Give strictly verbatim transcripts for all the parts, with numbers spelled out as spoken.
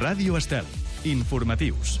Ràdio Estel. Informatius.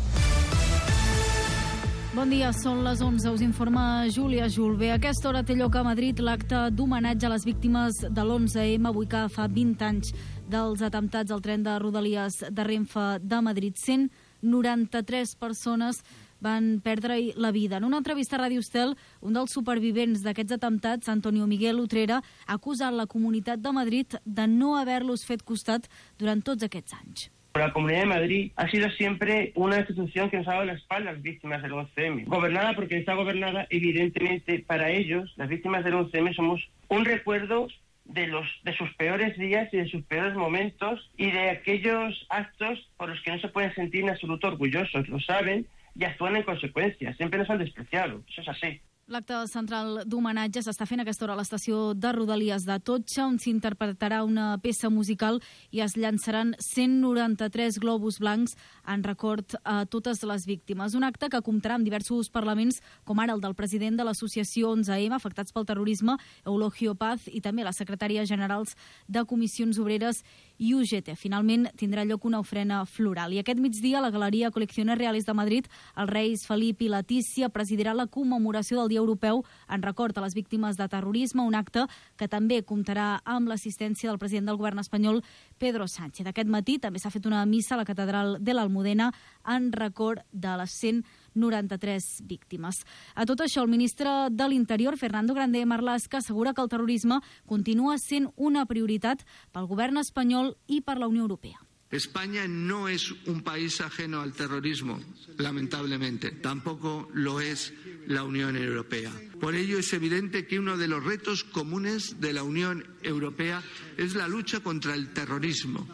Bon dia, són les onze, us informa Júlia Julve. A aquesta hora té lloc a Madrid l'acte d'homenatge a les víctimes de l'onze eme, avui que fa vint anys dels atemptats al tren de Rodalies de Renfe de Madrid. cent noranta-tres persones van perdre la vida. En una entrevista a Ràdio Estel, un dels supervivents d'aquests atemptats, Antonio Miguel Utrera, ha acusat la Comunitat de Madrid de no haver-los fet costat durant tots aquests anys. La Comunidad de Madrid ha sido siempre una institución que nos ha dado la espalda a las víctimas del once eme. Gobernada porque está gobernada, evidentemente, para ellos, las víctimas del once eme, somos un recuerdo de los de sus peores días y de sus peores momentos y de aquellos actos por los que no se pueden sentir en absoluto orgullosos. Lo saben y actúan en consecuencia. Siempre nos han despreciado. Eso es así. L'acte central d'homenatge s'està fent a aquesta hora a l'estació de Rodalies d'Atocha, on s'interpretarà una peça musical i es llançaran cent noranta-tres globus blancs en record a totes les víctimes. Un acte que comptarà amb diversos parlaments, com ara el del president de l'associació onze eme, afectats pel terrorisme, Eulogio Paz, i també les secretàries generals de Comissions Obreres i U G T. Finalment, tindrà lloc una ofrena floral. I aquest migdia, la Galeria Colecciones Reales de Madrid, els reis Felip i Letícia presidirà la commemoració del Dia Europeu en record a les víctimes de terrorisme, un acte que també comptarà amb l'assistència del president del govern espanyol, Pedro Sánchez. Aquest matí també s'ha fet una missa a la catedral de l'Almudena en record de les cent noranta-tres víctimes. A tot això, el ministre de l'Interior, Fernando Grande Marlaska, assegura que el terrorisme continua sent una prioritat pel govern espanyol i per la Unió Europea. España no es un país ajeno al terrorismo, lamentablemente. Tampoco lo es la Unión Europea. Por ello es evidente que uno de los retos comunes de la Unión Europea es la lucha contra el terrorismo,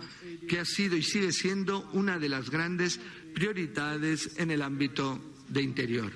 que ha sido y sigue siendo una de las grandes prioridades en el ámbito de interior.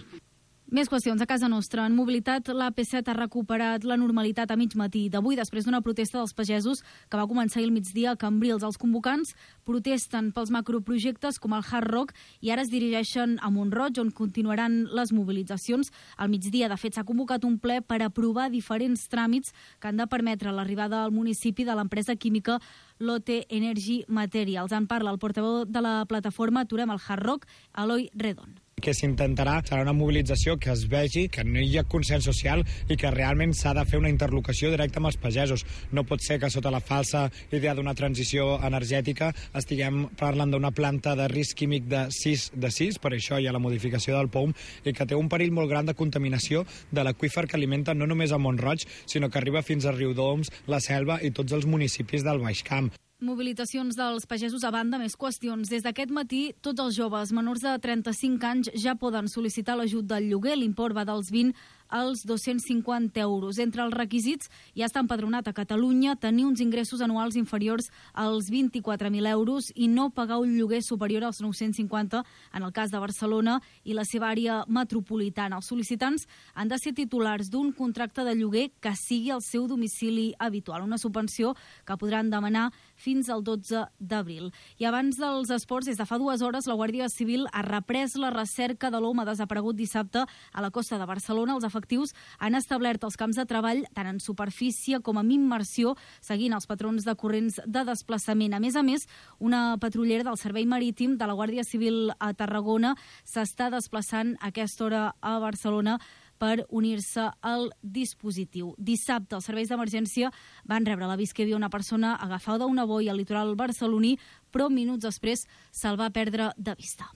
Més qüestions a casa nostra. En mobilitat, l'A P set ha recuperat la normalitat a mig matí d'avui després d'una protesta dels pagesos que va començar ahir al migdia a Cambrils. Els convocants protesten pels macroprojectes com el Hard Rock i ara es dirigeixen a Mont-roig, on continuaran les mobilitzacions. Al migdia, de fet, s'ha convocat un ple per aprovar diferents tràmits que han de permetre l'arribada al municipi de l'empresa química Lotte Energy Materials. En parla el portaveu de la plataforma Aturem el Hard Rock, Eloi Redon. Que s'intentarà serà una mobilització que es vegi que no hi ha consens social i que realment s'ha de fer una interlocució directa amb els pagesos. No pot ser que sota la falsa idea d'una transició energètica estiguem parlant d'una planta de risc químic de sis de sis, per això hi ha la modificació del P O U M, i que té un perill molt gran de contaminació de l'aqüífer que alimenta no només a Mont-roig, sinó que arriba fins a Riudoms, la Selva i tots els municipis del Baix Camp. Mobilitzacions dels pagesos a banda, més qüestions. Des d'aquest matí, tots els joves menors de trenta-cinc anys ja poden sol·licitar l'ajut del lloguer. L'import va dels vint als dos-cents cinquanta euros. Entre els requisits ja està empadronat a Catalunya, tenir uns ingressos anuals inferiors als vint-i-quatre mil euros i no pagar un lloguer superior als nou-cents cinquanta en el cas de Barcelona i la seva àrea metropolitana. Els sol·licitants han de ser titulars d'un contracte de lloguer que sigui el seu domicili habitual, una subvenció que podran demanar fins al dotze d'abril. I abans dels esports, des de fa dues hores, la Guàrdia Civil ha reprès la recerca de l'home desaparegut dissabte a la costa de Barcelona. Els efectius han establert els camps de treball tant en superfície com en immersió, seguint els patrons de corrents de desplaçament. A més a més, una patrullera del Servei Marítim de la Guàrdia Civil a Tarragona s'està desplaçant a aquesta hora a Barcelona per unir-se al dispositiu. Dissabte, els serveis d'emergència van rebre l'avís que hi havia una persona agafada a una boia al litoral barceloní, però minuts després se'l va perdre de vista.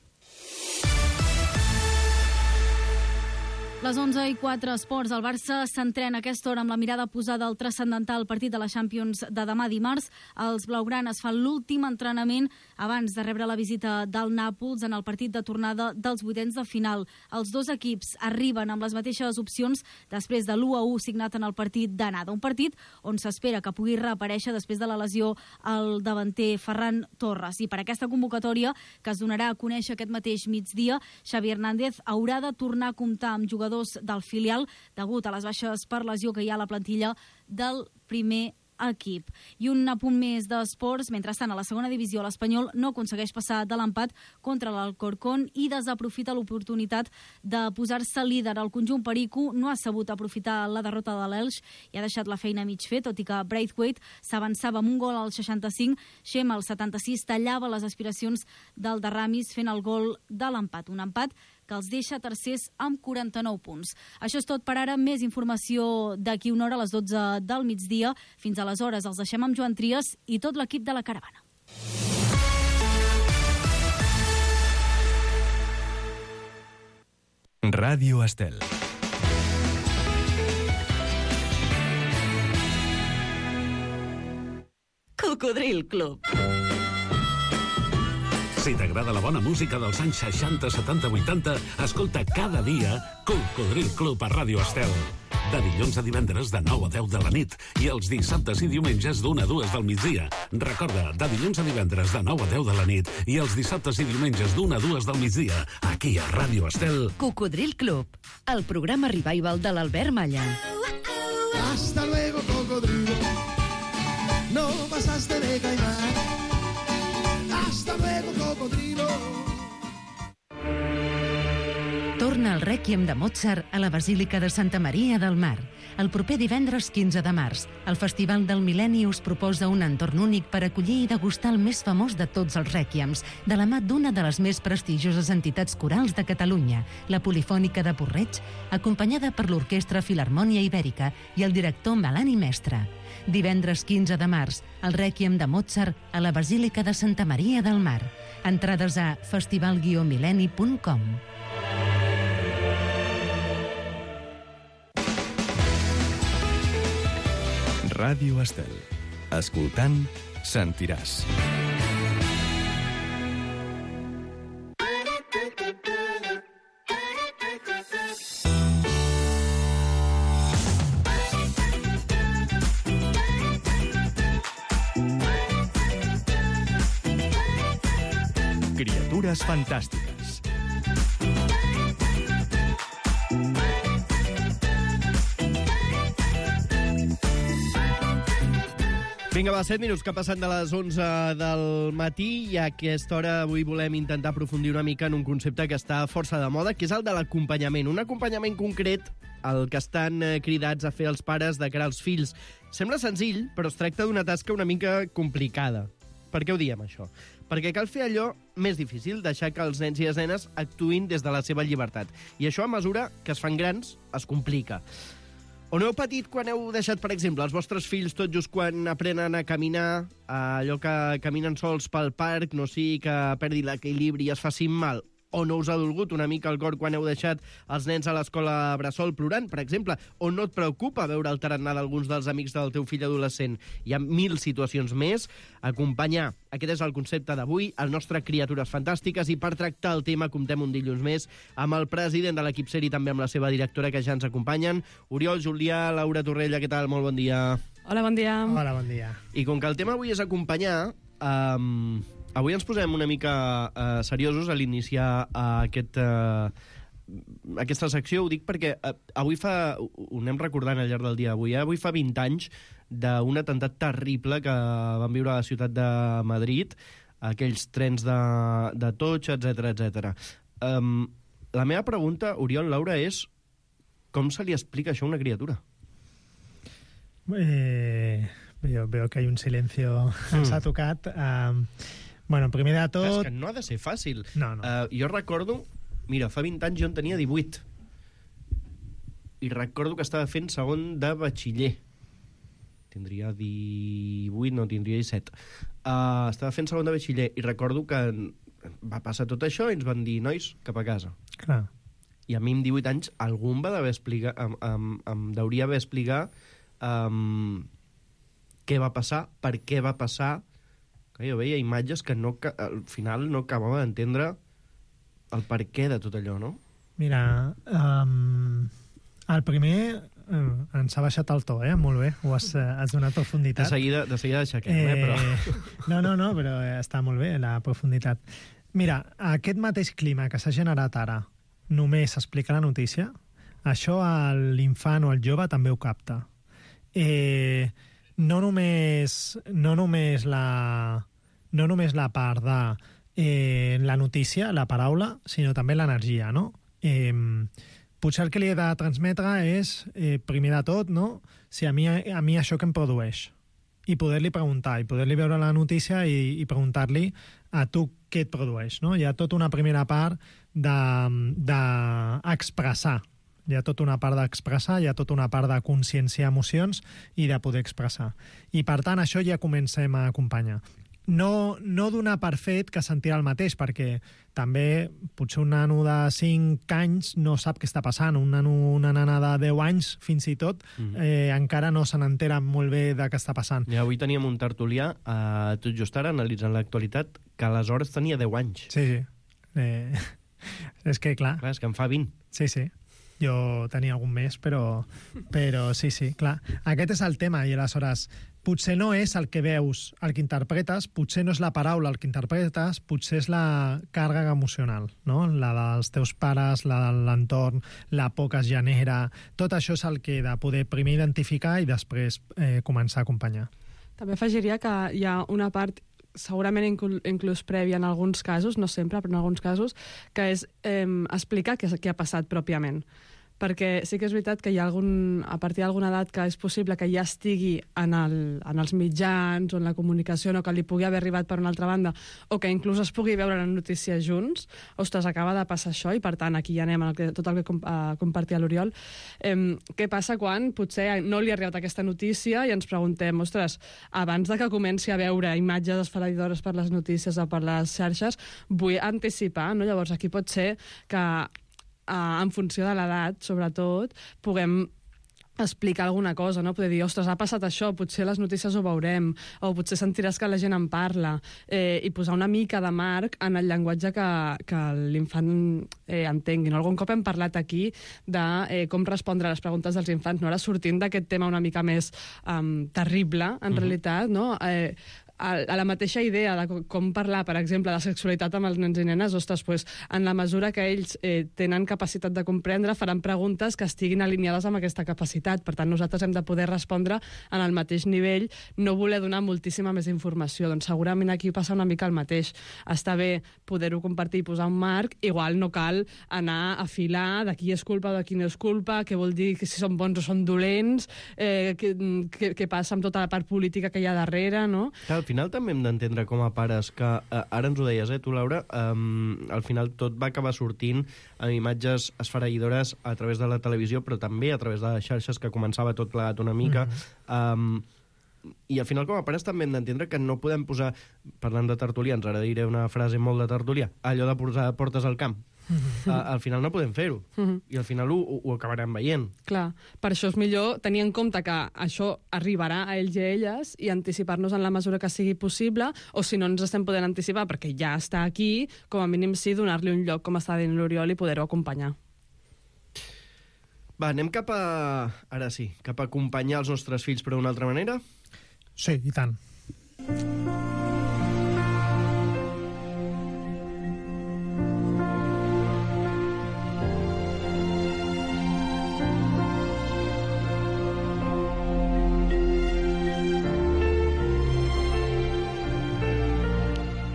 Les onze i quatre esports. El Barça s'entrena a aquesta hora amb la mirada posada al transcendental partit de la Champions de demà dimarts. Els blaugranes fan l'últim entrenament abans de rebre la visita del Nàpols en el partit de tornada dels vuitens de final. Els dos equips arriben amb les mateixes opcions després de l'u a u signat en el partit d'anada. Un partit on s'espera que pugui reaparèixer després de la lesió al davanter Ferran Torres. I per aquesta convocatòria, que es donarà a conèixer aquest mateix migdia, Xavi Hernández haurà de tornar a comptar amb jugadors del filial degut a les baixes per lesió que hi ha a la plantilla del primer equip. I un apunt més d'esports. Mentrestant, a la segona divisió, l'Espanyol no aconsegueix passar de l'empat contra l'Alcorcón i desaprofita l'oportunitat de posar-se líder. El conjunt perico no ha sabut aprofitar la derrota de l'Elx i ha deixat la feina mig fet, tot i que Braithwaite s'avançava amb un gol al seixanta-cinc. Xema, al setanta-sis, tallava les aspiracions del de Ramis fent el gol de l'empat. Un empat que els deixa tercers amb quaranta-nou punts. Això és tot per ara. Més informació d'aquí una hora a les dotze del migdia. Fins aleshores els deixem amb Joan Trias i tot l'equip de la caravana. Ràdio Estel. Cocodril Club. Si t'agrada la bona música dels anys seixanta, setanta, vuitanta, escolta cada dia Cocodril Club a Ràdio Estel. De dilluns a divendres de nou a deu de la nit i els dissabtes i diumenges d'una a dues del migdia. Recorda, de dilluns a divendres de nou a deu de la nit i els dissabtes i diumenges d'una a dues del migdia, aquí a Ràdio Estel. Cocodril Club, el programa revival de l'Albert Malla. Hasta luego, cocodrilo. No pasaste de caimán. Hasta luego, cocodrilo. Torna el Rèquiem de Mozart a la Basílica de Santa Maria del Mar. El proper divendres quinze de març, el Festival del Mil·lenni us proposa un entorn únic per acollir i degustar el més famós de tots els rèquiems, de la mà d'una de les més prestigioses entitats corals de Catalunya, la Polifònica de Porreig, acompanyada per l'Orquestra Filharmònia Ibèrica i el director Melani Mestre. Divendres quinze de març, el Rèquiem de Mozart a la Basílica de Santa Maria del Mar. Entrades a festival guió mil·lenni punt com. Ràdio Estel. Escoltant, sentiràs. Criatures fantàstiques. Vinga, va, set minuts que passen de les onze del matí i a aquesta hora avui volem intentar aprofundir una mica en un concepte que està força de moda, que és el de l'acompanyament. Un acompanyament concret el que estan cridats a fer els pares de cara als fills. Sembla senzill, però es tracta d'una tasca una mica complicada. Per què ho diem, això? Perquè cal fer allò més difícil, deixar que els nens i les nenes actuïn des de la seva llibertat. I això, a mesura que es fan grans, es complica. On heu patit quan heu deixat, per exemple, els vostres fills tot just quan aprenen a caminar, allò que caminen sols pel parc, no sigui que perdi l'equilibri i es facin mal? O no us ha dolgut una mica el cor quan heu deixat els nens a l'escola bressol plorant, per exemple? O no et preocupa veure el tarannà d'alguns dels amics del teu fill adolescent? Hi ha mil situacions més. Acompanyar. Aquest és el concepte d'avui, el nostre Criatures Fantàstiques, i per tractar el tema comptem un dilluns més amb el president de l'equip Seri, també amb la seva directora, que ja ens acompanyen. Oriol, Julià, Laura Torrella, què tal? Molt bon dia. Hola, bon dia. Hola, bon dia. I com que el tema avui és acompanyar, um, avui ens posem una mica uh, seriosos a l'iniciar uh, aquest, uh, aquesta secció. Ho dic perquè uh, avui fa, ho anem recordant al llarg del dia avui, eh? Avui fa vint anys d'un atemptat terrible que van viure a la ciutat de Madrid, aquells trens de, de totx, etcètera, etcètera. Um, la meva pregunta, Oriol, Laura, és com se li explica això a una criatura? Eh, veo, veo que hay un silencio mm. ens ha tocat. Uh, bueno, primer de tot... És que no ha de ser fàcil. No, no. Uh, jo recordo... Mira, fa vint anys jo en tenia divuit. I recordo que estava fent segon de batxiller. Tindria divuit, no, tindria disset. Uh, estava fent segon de batxiller i recordo que va passar tot això i ens van dir, nois, cap a casa. Clar. I a mi amb divuit anys algú em va d'haver explicar, em, em, em deuria haver explicar um, què va passar, per què va passar. Que jo veia imatges que no, que al final no acabava d'entendre el per què de tot allò, no? Mira, um, el primer uh, ens ha baixat el to, eh? Molt bé, ho has, uh, has donat profunditat. De seguida, de seguida aixequem, eh, eh? Però... No, no, no, però està molt bé la profunditat. Mira, aquest mateix clima que s'ha generat ara, només explicar la notícia, això l'infant o el jove també ho capta. Eh, no només, no només, la, no només la part de eh, la notícia, la paraula, sinó també l'energia, no? Eh, potser el que li he de transmetre és, eh, primer de tot, no? Si a mi, a mi això que em produeix. I poder-li preguntar, i poder-li veure la notícia i, i preguntar-li a tu què et produeix, no? Hi ha tota una primera part d'expressar. De, de hi ha tota una part d'expressar, hi ha tota una part de conscienciar emocions i de poder expressar. I, per tant, això ja comencem a acompanyar. No, no donar per fet que sentirà el mateix, perquè també potser un nano de cinc anys no sap què està passant. Un nano, una nana de deu anys, fins i tot, mm-hmm. eh, encara no se n'entera molt bé de què està passant. I avui teníem un tertulià, eh, tot just ara, analitzant l'actualitat, que aleshores tenia deu anys. Sí, sí. Eh, és que, clar... Clar, és que en fa vint. Sí, sí. Jo tenia algun més, però, però sí, sí, clar. Aquest és el tema, i aleshores potser no és el que veus, el que interpretes, potser no és la paraula el que interpretes, potser és la càrrega emocional, no? La dels teus pares, la de l'entorn, la por que es genera... Tot això és el que he de poder primer identificar i després eh, començar a acompanyar. També afegiria que hi ha una part segurament inclús, inclús prèvia en alguns casos, no sempre, però en alguns casos, que és eh, explicar què, què ha passat pròpiament. Perquè sí que és veritat que hi ha algun, a partir d'alguna edat que és possible que ja estigui en, el, en els mitjans o en la comunicació, no, que li pugui haver arribat per una altra banda, o que inclús es pugui veure en notícies junts. Ostres, acaba de passar això, i per tant aquí ja anem a tot el que com, a compartir a l'Oriol. Eh, què passa quan potser no li ha arribat aquesta notícia i ens preguntem, ostres, abans de que comenci a veure imatges esfereïdores per les notícies o per les xarxes, vull anticipar, no? Llavors aquí pot ser que Uh, en funció de l'edat, sobretot, puguem explicar alguna cosa, no? Poder dir, ostres, ha passat això, potser les notícies ho veurem, o potser sentiràs que la gent en parla, eh, i posar una mica de marc en el llenguatge que, que l'infant eh, entengui. No? Algun cop hem parlat aquí de eh, com respondre a les preguntes dels infants, no? Ara sortint d'aquest tema una mica més um, terrible, en mm-hmm. realitat, no? Eh, a la mateixa idea de com parlar, per exemple, de sexualitat amb els nens i nenes, ostres, pues, en la mesura que ells eh, tenen capacitat de comprendre, faran preguntes que estiguin alineades amb aquesta capacitat. Per tant, nosaltres hem de poder respondre en el mateix nivell, no voler donar moltíssima més informació. Doncs segurament aquí passa una mica el mateix. Està bé poder-ho compartir i posar un marc, igual no cal anar a filar de qui és culpa o de qui no és culpa, què vol dir que si són bons o són dolents, eh, què, què, què passa amb tota la part política que hi ha darrere, no? Clar, al final també hem d'entendre com a pares que, eh, ara ens ho deies, eh, tu, Laura, eh, al final tot va acabar sortint amb imatges esfereïdores a través de la televisió, però també a través de les xarxes, que començava tot plegat una mica. Mm-hmm. eh, I al final com a pares també hem d'entendre que no podem posar, parlant de tertulians, ara diré una frase molt de tertulià, allò de posar portes al camp. Uh, al final no podem fer-ho, uh-huh. i al final ho, ho acabarem veient. Clar, per això és millor tenir en compte que això arribarà a ells i a elles i anticipar-nos en la mesura que sigui possible, o si no ens estem podent anticipar perquè ja està aquí, com a mínim sí donar-li un lloc, com està dient l'Oriol, i poder-ho acompanyar. Va, anem cap a... ara sí, cap a acompanyar els nostres fills, però d'una altra manera? Sí, i tant.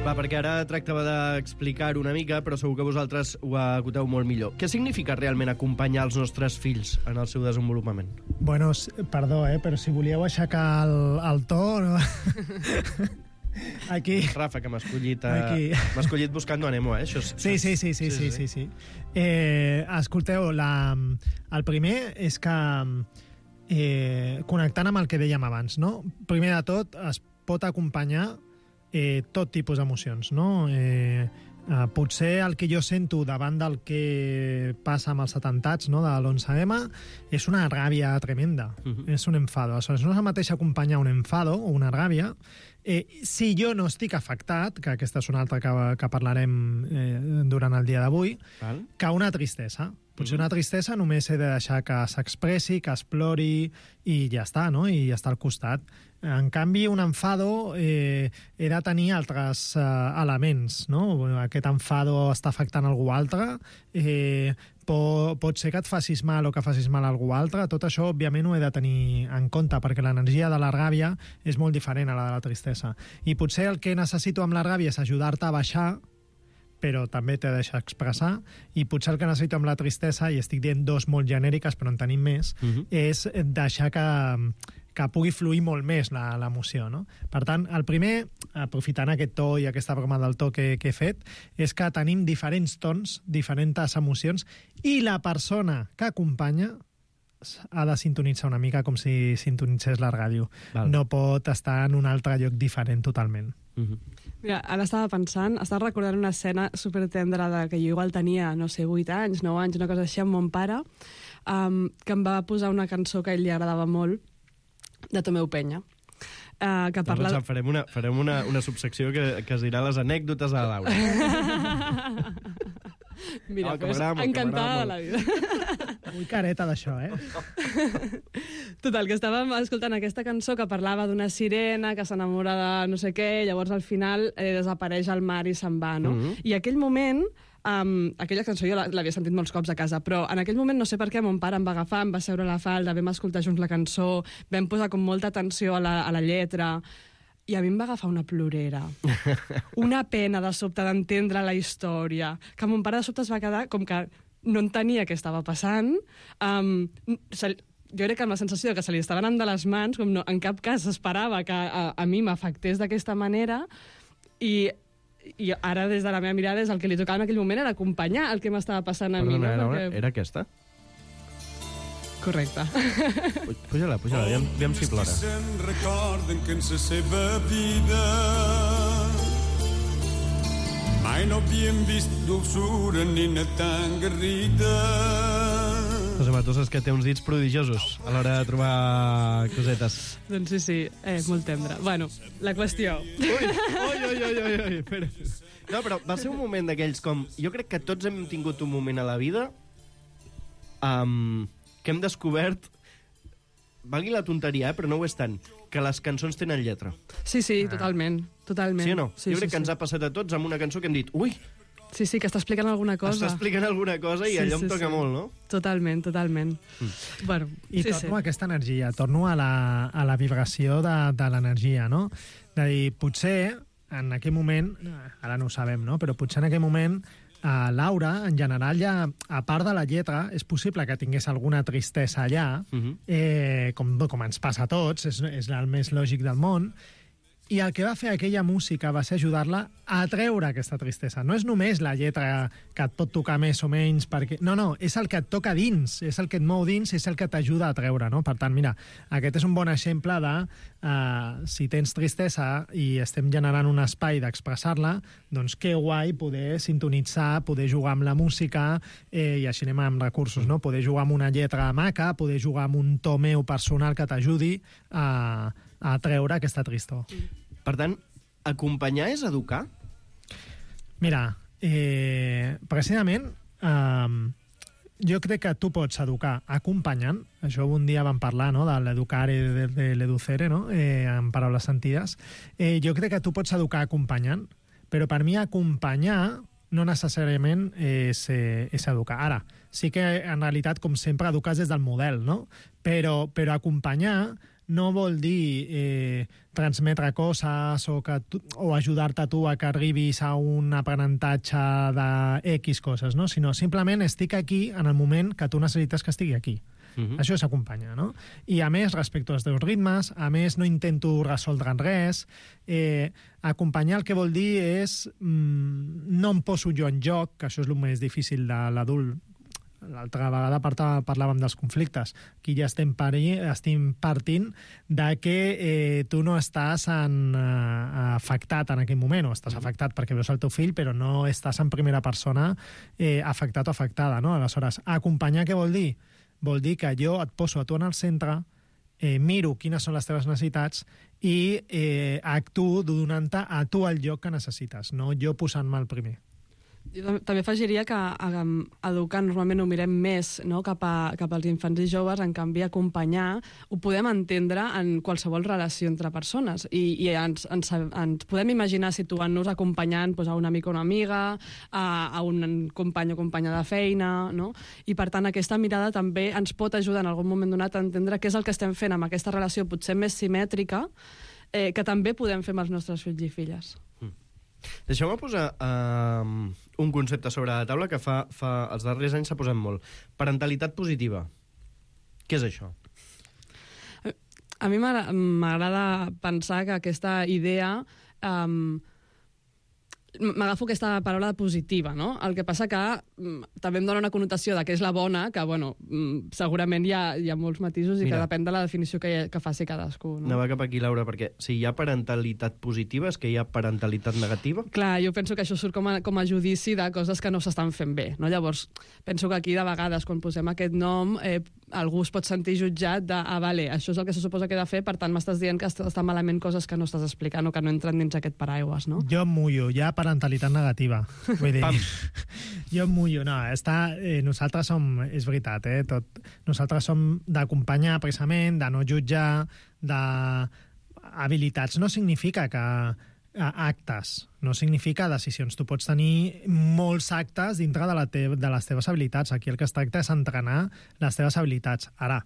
Va, perquè ara tractava d'explicar-ho una mica, però segur que vosaltres ho acoteu molt millor. Què significa realment acompanyar els nostres fills en el seu desenvolupament? Bueno, perdó, eh, però si volíeu aixecar el, el to... No? Aquí... Rafa, que m'ha escollit, eh, m'ha escollit buscant Nemo, eh? Això és... sí, sí, sí, sí, sí, sí, sí. Eh, escolteu, la, el primer és que, eh, connectant amb el que dèiem abans, no? Primer de tot, es pot acompanyar eh, tot tipus d'emocions, no? Eh, eh, potser el que jo sento davant del que passa amb els atemptats, no, de l'onze eme és una ràbia tremenda, uh-huh. és un enfado. Aleshores, no és el mateix acompanyar un enfado o una ràbia eh, si jo no estic afectat, que aquesta és una altra que, que parlarem eh, durant el dia d'avui, que una tristesa. Potser una tristesa només he de deixar que s'expressi, que explori i ja està, no? I ja està al costat. En canvi, un enfado eh, he de tenir altres eh, elements, no? Aquest enfado està afectant algú altre, eh, pot, pot ser que et facis mal o que facis mal a algú altre, tot això, òbviament, ho he de tenir en compte, perquè l'energia de la ràbia és molt diferent a la de la tristesa. I potser el que necessito amb la ràbia és ajudar-te a baixar, però també t'he de deixar expressar, i potser el que necessito amb la tristesa, i estic dient dos molt genèriques, però en tenim més, uh-huh. és deixar que, que pugui fluir molt més l'emoció, no? Per tant, el primer, aprofitant aquest to i aquesta broma del to que, que he fet, és que tenim diferents tons, diferents emocions, i la persona que acompanya ha de sintonitzar una mica com si sintonitzés la ràdio. Val. No pot estar en un altre lloc diferent totalment. Uh-huh. Mira, ara estava pensant, estava recordant una escena supertendra de que jo igual tenia, no sé, vuit anys, nou anys, una cosa així, amb mon pare, um, que em va posar una cançó que a ell li agradava molt, de Tomeu Penya. Uh, que parla... Doncs farem una, farem una, una subsecció que, que es dirà les anècdotes de la Laura. Mira, oh, pues, encantada de la vida. Muy careta d'això, eh? Total, que estàvem escoltant aquesta cançó que parlava d'una sirena que s'enamora de no sé què, llavors al final eh, desapareix al mar i se'n va, no? Mm-hmm. I aquell moment, um, aquella cançó jo l'havia sentit molts cops a casa, però en aquell moment no sé per què mon pare em va agafar, em va seure a la falda, vam escoltar junts la cançó, vam posar com molta atenció a la, a la lletra, i a mi em va agafar una plorera, una pena de sobte d'entendre la història, que mon pare de sobte es va quedar com que no entenia què estava passant. Um, se, jo crec que amb la sensació que se li estava anant de les mans, com no, en cap cas esperava que a, a mi m'afectés d'aquesta manera, i, i ara des de la meva mirada és el que li tocava en aquell moment era acompanyar el que m'estava passant a Perdona, mi. No? Era, Perquè... era aquesta? Correcte. Puja-la, puja-la, aviam, aviam si plora. Se'n recorden que en la seva vida mai no havien vist dolçura ni una tan garrida. José Mà, tu saps que té uns dits prodigiosos a l'hora de trobar cosetes. Doncs sí, sí, eh, molt tendre. Bueno, la qüestió... Ui, ui, ui, ui, ui, ui, espera. No, però va ser un moment d'aquells com... Jo crec que tots hem tingut un moment a la vida um, que hem descobert, valgui la tonteria, eh, però no ho és tant, que les cançons tenen lletra. Sí, sí, totalment, totalment. Sí o no? Sí, jo crec sí, que sí. ens ha passat a tots amb una cançó que hem dit, ui, sí, sí, que està explicant alguna cosa. Està explicant alguna cosa i sí, allò sí, em toca sí. molt, no? Totalment, totalment. Mm. Bueno, I sí, torno sí. a aquesta energia, torno a la, a la vibració de, de l'energia, no? De dir, potser en aquell moment, ara no ho sabem, no? Però potser en aquell moment a Laura, en general, ja, a part de la lletra, és possible que tingués alguna tristesa allà, uh-huh. eh, com, com ens passa a tots, és, és el més lògic del món, i el que va fer aquella música va ser ajudar-la a treure aquesta tristesa. No és només la lletra que et pot tocar més o menys, perquè... No, no, és el que et toca dins, és el que et mou dins, és el que t'ajuda a treure, no? Per tant, mira, aquest és un bon exemple de uh, si tens tristesa i estem generant un espai d'expressar-la, doncs que guai poder sintonitzar, poder jugar amb la música, eh, i així anem amb recursos, no? Poder jugar amb una lletra maca, poder jugar amb un to meu personal que t'ajudi a, a treure aquesta tristor. Per tant, acompanyar és educar? Mira, eh, precisament, eh, jo crec que tu pots educar acompanyant. Això un dia vam parlar, no?, de l'educar i de, de l'educere, no?, eh, en paraules sentides. Eh, jo crec que tu pots educar acompanyant, però per mi acompanyar no necessàriament és, eh, és educar. Ara, sí que en realitat, com sempre, educar des del model, no? Però, però acompanyar no vol dir eh, transmetre coses o, que tu, o ajudar-te tu a que arribis a un aprenentatge de X coses, no? Sinó simplement estic aquí en el moment que tu necessites que estigui aquí. Uh-huh. Això és acompanyar, no? I a més, respecte als teus ritmes, a més, no intento resoldre res. Eh, acompanyar el que vol dir és mm, no em poso jo en joc, que això és el més difícil de l'adult. L'altra vegada parlàvem dels conflictes. Aquí ja estem, pari, estem partint de que eh, tu no estàs en, eh, afectat en aquell moment, o estàs afectat perquè veus el teu fill, però no estàs en primera persona eh, afectat o afectada, no? Aleshores, acompanyar què vol dir? Vol dir que jo et poso a tu en el centre, eh, miro quines són les teves necessitats i eh, actuo donant-te a tu el lloc que necessites, no jo posant-me el primer. Jo també afegiria que um, educar normalment ho mirem més, no? cap, a, cap als infants i joves, en canvi acompanyar ho podem entendre en qualsevol relació entre persones i, i ens, ens, ens podem imaginar situant-nos acompanyant doncs, a un amic o una amiga, a, a un company o companya de feina, no? I per tant aquesta mirada també ens pot ajudar en algun moment donat a entendre què és el que estem fent amb aquesta relació potser més simètrica, eh, que també podem fer amb els nostres fills i filles. Deixeu-me posar uh, un concepte sobre la taula que fa, fa els darrers anys s'ha posat molt. Parentalitat positiva. Què és això? A mi m'agrada pensar que aquesta idea... Um, m'agafo aquesta paraula positiva, no? El que passa que mm, també em dona una connotació de què és la bona, que, bueno, mm, segurament hi ha, hi ha molts matisos i Mira, que depèn de la definició que, que faci cadascú. No? Anava cap aquí, Laura, perquè si hi ha parentalitat positiva és que hi ha parentalitat negativa? Clar, jo penso que això surt com a, com a judici de coses que no s'estan fent bé, no? Llavors, penso que aquí, de vegades, quan posem aquest nom, eh, algú es pot sentir jutjat de, ah, vale, això és el que se suposa que he de fer, per tant m'estàs dient que estan malament coses que no estàs explicant o que no entren dins aquest paraigües, no? Jo em mullo, hi ha parentalitat negativa. Vull dir, jo em mullo, no, està, eh, nosaltres som, és veritat, eh, tot, nosaltres som d'acompanyar precisament, de no jutjar, d'habilitats. No significa que actes, no significa decisions. Tu pots tenir molts actes dintre de, la te de les teves habilitats. Aquí el que es tracta és entrenar les teves habilitats. Ara,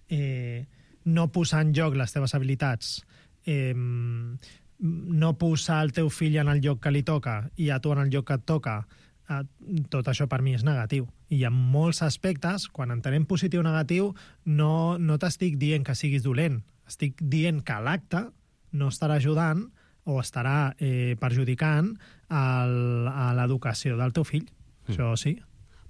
eh, no posar en joc les teves habilitats, eh, no posar el teu fill en el lloc que li toca i a tu en el lloc que et toca, eh, tot això per mi és negatiu. I hi ha molts aspectes, quan entenem positiu o negatiu, no, no t'estic dient que siguis dolent, estic dient que l'acte no estarà ajudant o estarà eh, perjudicant el, a l'educació del teu fill. Mm. Això sí.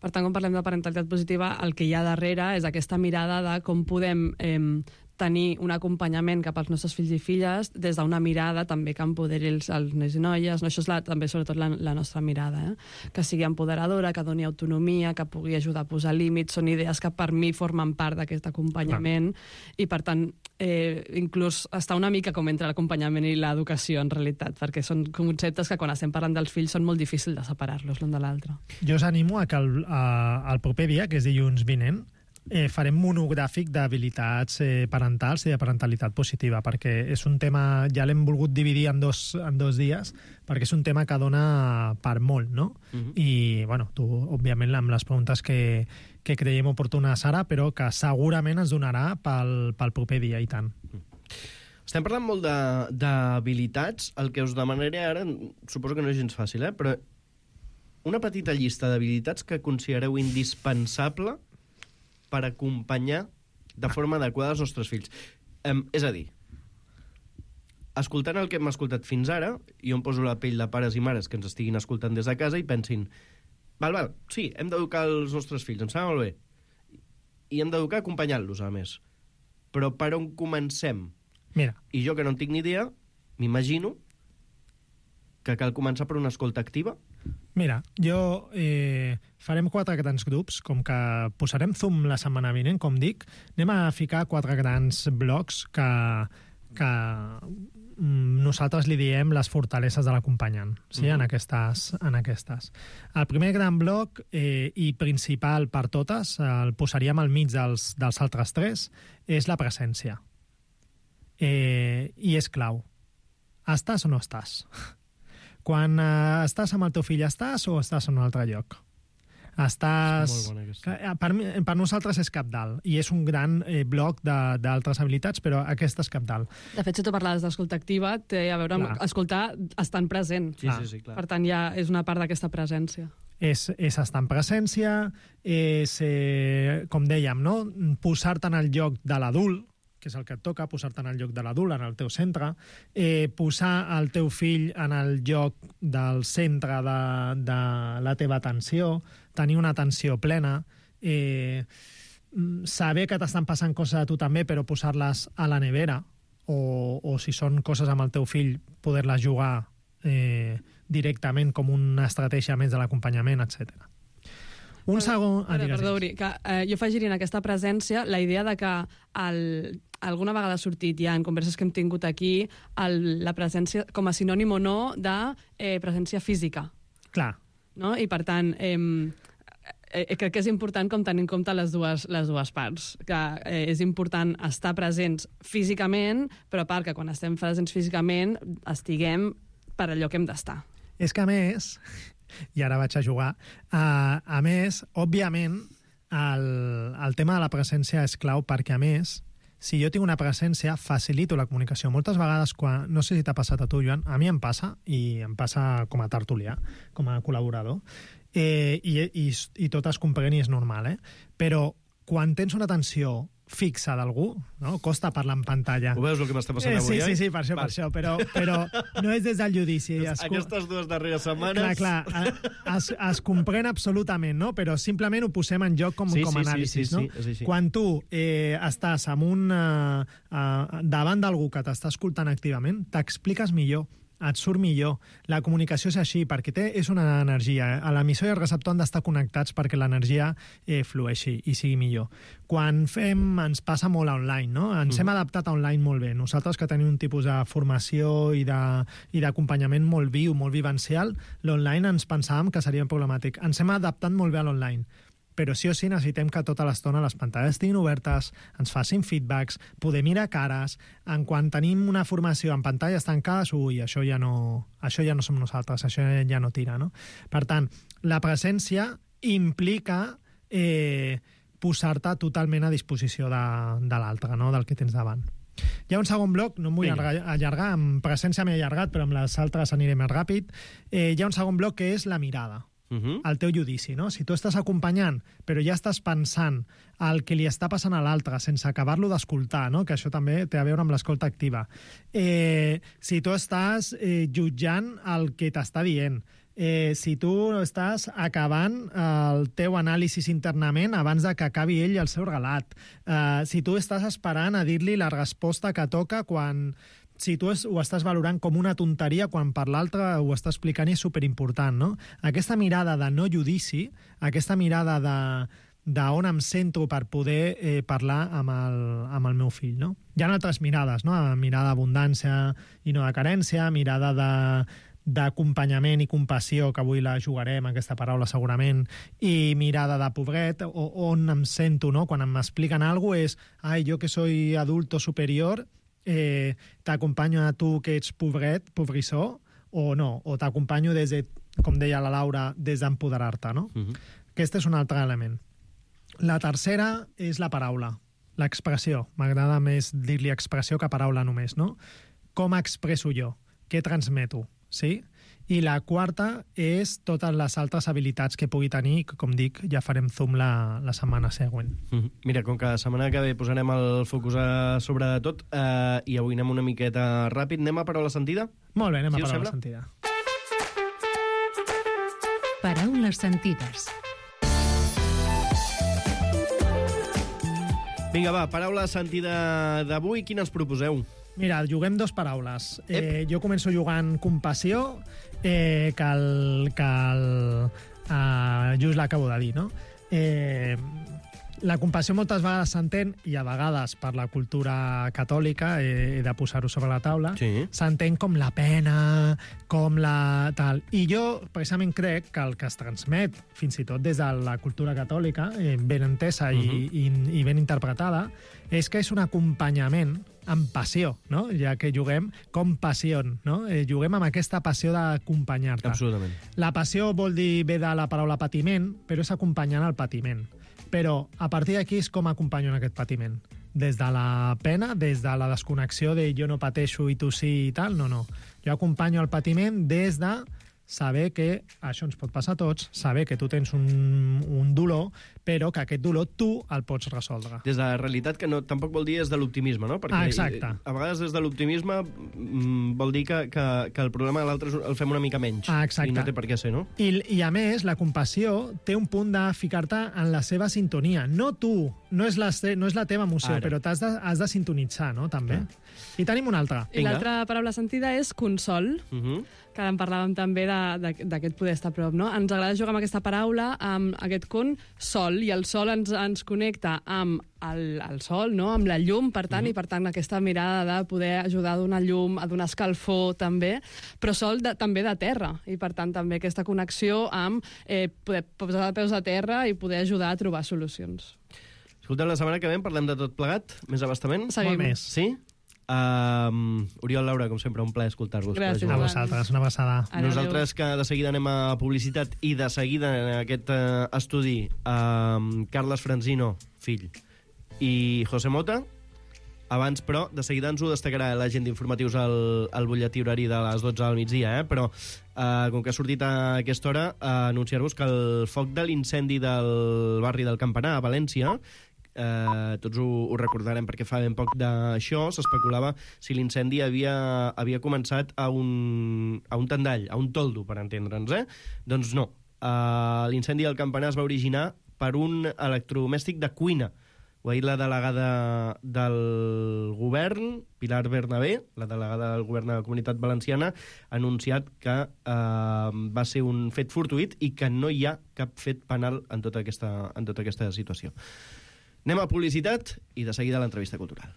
Per tant, quan parlem de parentalitat positiva, el que hi ha darrere és aquesta mirada de com podem eh, tenir un acompanyament cap als nostres fills i filles des d'una mirada també que empoderi els, els nois i noies. No? Això és la, també sobretot la, la nostra mirada, eh? Que sigui empoderadora, que doni autonomia, que pugui ajudar a posar límits. Són idees que per mi formen part d'aquest acompanyament. Clar. I per tant, eh, inclús està una mica com entre l'acompanyament i l'educació en realitat, perquè són conceptes que quan estem parlant dels fills són molt difícils de separar-los l'un de l'altre. Jo us animo a que el, a, el proper dia, que és dilluns vinent, Eh, farem monogràfic d'habilitats eh, parentals i de parentalitat positiva, perquè és un tema, ja l'hem volgut dividir en dos, en dos dies, perquè és un tema que dona per molt, no? Uh-huh. I, bueno, tu, òbviament, amb les preguntes que, que creiem oportunes ara, però que segurament ens donarà pel, pel proper dia, i tant. Uh-huh. Estem parlant molt d'habilitats. El que us demanaré ara, suposo que no és gens fàcil, eh? Però una petita llista d'habilitats que considereu indispensable per acompanyar de forma adequada els nostres fills. Um, és a dir, escoltant el que hem escoltat fins ara, jo em poso la pell de pares i mares que ens estiguin escoltant des de casa i pensin, val, val, sí, hem d'educar els nostres fills, em sembla molt bé. I hem d'educar acompanyant-los, a més. Però per on comencem? Mira. I jo, que no en tinc ni idea, m'imagino que cal començar per una escolta activa. Mira, jo eh, farem quatre grans grups, com que posarem Zoom la setmana vinent, com dic, anem a ficar quatre grans blocs que, que mm, nosaltres li diem les fortaleses de l'acompanyant, sí? Uh-huh. en, aquestes, en aquestes. El primer gran bloc, eh, i principal per totes, el posaríem al mig dels, dels altres tres, és la presència. Eh, I és clau. Estàs o no estàs? Quan uh, estàs amb el teu fill, estàs o estàs en un altre lloc? Estàs... Per, per nosaltres és cabdal, i és un gran eh, bloc d'altres habilitats, però aquesta és cabdal. De fet, si tu parlaves d'escolta activa, té a veure amb clar. Escoltar estant present. Sí, sí, sí, clar. Per tant, ja és una part d'aquesta presència. És, és estar en presència, és, eh, com dèiem, no? Posar-te en el lloc de l'adult, que és el que et toca, posar-te en el lloc de l'adult, en el teu centre, eh, posar el teu fill en el lloc del centre de, de la teva atenció, tenir una atenció plena, eh, saber que t'estan passant coses a tu també, però posar-les a la nevera, o, o si són coses amb el teu fill, poder-les jugar eh, directament com una estratègia més de l'acompanyament, etcètera. Un segon... Ah, perdó, Uri, que eh, jo afegiria en aquesta presència la idea de que el, alguna vegada ha sortit ja en converses que hem tingut aquí el, la presència com a sinònim o no de eh, presència física. Clar. no? I, per tant, eh, eh, crec que és important com tenir en compte les dues, les dues parts, que eh, és important estar presents físicament, però a part que quan estem presents físicament estiguem per allò que hem d'estar. És que, a més, i ara vaig a jugar, uh, a més, òbviament, el, el tema de la presència és clau perquè, a més, si jo tinc una presència, facilito la comunicació. Moltes vegades, quan, no sé si t'ha passat a tu, Joan, a mi em passa, i em passa com a tertulià, com a col·laborador, eh, i, i, i tot es comprèn i és normal, eh? Però quan tens una atenció fixa d'algú, no? Costa parlar en pantalla. Ho veus el que m'està passant avui, eh? Sí, eh? sí, sí, per això, per això, però, però no és des del judici. Es, Aquestes dues darreres setmanes... Clar, clar, es, es comprèn absolutament, no? Però simplement ho posem en joc com, sí, com a sí, anàlisi, sí, sí, no? sí, sí, sí. Quan tu eh, estàs amb un, uh, uh, davant d'algú que t'està escoltant activament, t'expliques millor, et surt millor. La comunicació és així, perquè té, és una energia. Eh? L'emissor i el receptor han d'estar connectats perquè l'energia eh, flueixi i sigui millor. Quan fem, ens passa molt a online, no? Ens mm. hem adaptat a online molt bé. Nosaltres que tenim un tipus de formació i d'acompanyament molt viu, molt vivencial, l'online ens pensàvem que seria problemàtic. Ens hem adaptat molt bé a l'online. Però sí o sí necessitem que tota l'estona les pantalles estiguin obertes, ens facin feedbacks, poder mirar cares. En quan tenim una formació en pantalles tancades, ui, això ja no, això ja no som nosaltres, això ja no tira, no? Per tant, la presència implica eh, posar-te totalment a disposició de, de l'altre, no? Del que tens davant. Hi ha un segon bloc, no em vull allargar, allargar, amb presència m'he allargat, però amb les altres aniré més ràpid. Eh, hi ha un segon bloc que és la mirada. Uh-huh. El teu judici, no? Si tu estàs acompanyant, però ja estàs pensant el que li està passant a l'altre sense acabar-lo d'escoltar, no? Que això també té a veure amb l'escolta activa. Eh, si tu estàs eh, jutjant el que t'està dient, eh, si tu estàs acabant el teu anàlisi internament abans de que acabi ell el seu relat, eh, si tu estàs esperant a dir-li la resposta que toca quan... Si tu ho estàs valorant com una tonteria quan per l'altre ho està explicant i és superimportant, no? Aquesta mirada de no judici, aquesta mirada de d'on em centro per poder eh, parlar amb el, amb el meu fill, no? Hi ha altres mirades, no? Mirada d'abundància i no de carència, mirada de d'acompanyament i compassió, que avui la jugarem, aquesta paraula segurament, i mirada de pobret, o, on em sento, no? Quan m'expliquen alguna cosa és, ai, jo que soy adulto superior, Eh, t'acompanyo a tu que ets pobret, pobrissó, o no, o t'acompanyo des de, com deia la Laura, des d'empoderar-te, no? Uh-huh. Aquest és un altre element. La tercera és la paraula, l'expressió. M'agrada més dir-li expressió que paraula només, no? Com expresso jo? Què transmeto? Sí? I la quarta és totes les altres habilitats que pugui tenir, que, com dic, ja farem zoom la, la setmana següent. Mm-hmm. Mira, com que la setmana que ve posarem el focus a sobre de tot, eh, i avui anem una miqueta ràpid, anem a paraula sentida? Molt bé, anem sí, a paraula sentida. Paraules sentides. Vinga, va, paraula sentida d'avui, quines proposeu? Mira, juguem dos paraules. Eh, jo començo jugant compassió, eh, que el, que el uh, just l'acabo de dir, no? Eh, la compassió moltes vegades s'entén, i a vegades per la cultura catòlica, eh, he de posar-ho sobre la taula, sí. S'entén com la pena, com la tal. I jo, precisament, crec que el que es transmet, fins i tot des de la cultura catòlica, eh, ben entesa uh-huh. i, i, i ben interpretada, és que és un acompanyament amb passió, no? Ja que juguem com passió, no? Eh, juguem amb aquesta passió d'acompanyar-te. Absolutament. La passió vol dir, ve de la paraula patiment, però és acompanyant el patiment. Però a partir d'aquí és com acompanyo en aquest patiment. Des de la pena, des de la desconnexió de jo no pateixo i tu sí i tal, no, no. Jo acompanyo el patiment des de saber que això ens pot passar a tots, saber que tu tens un, un dolor, però que aquest dolor tu el pots resoldre. Des de la realitat, que no, tampoc vol dir des de l'optimisme, no? Perquè ah, exacte. A vegades des de l'optimisme mm, vol dir que, que, que el problema de l'altre el fem una mica menys. Ah, exacte. I no té per què ser, no? I, I a més, la compassió té un punt de ficar-te en la seva sintonia. No tu, no és la, no és la teva emoció, Ara. Però t'has de, has de sintonitzar, no? També. Ah. I tenim una altra. I l'altra paraula sentida és consol, Uh -huh. que en parlàvem també d'aquest poder estar a prop, no? Ens agrada jugar amb aquesta paraula, amb aquest con, sol, i el sol ens, ens connecta amb el, el sol, no? Amb la llum, per tant, uh -huh. i per tant aquesta mirada de poder ajudar a donar llum, a donar escalfor, també, però sol de, també de terra, i per tant també aquesta connexió amb eh, poder posar de peus a terra i poder ajudar a trobar solucions. Escolteu, la setmana que ve parlem de tot plegat, més abastament. Seguim. Molt més. Sí? Um, Oriol, Laura, com sempre, un plaer escoltar-vos. Gràcies. A vosaltres, una abraçada. Adéu. Nosaltres, que de seguida anem a publicitat, i de seguida en aquest uh, estudi um, Carles Franzino, fill, i José Mota. Abans, però, de seguida ens ho destacarà la gent d'informatius al, al butlletí horari de les dotze del migdia, eh? Però, uh, com que ha sortit a aquesta hora, uh, anunciar-vos que el foc de l'incendi del barri del Campanar, a València, Uh, tots ho, ho recordarem perquè fa ben poc d'això, s'especulava si l'incendi havia, havia començat a un, a un tendall, a un toldo, per entendre'ns, eh? Doncs no. Uh, l'incendi del Campanar es va originar per un electrodomèstic de cuina. Ho ha dit la delegada del govern, Pilar Bernabé, la delegada del govern de la Comunitat Valenciana, ha anunciat que uh, va ser un fet fortuït i que no hi ha cap fet penal en tota aquesta, en tota aquesta situació. Anem a publicitat i de seguida l'entrevista cultural.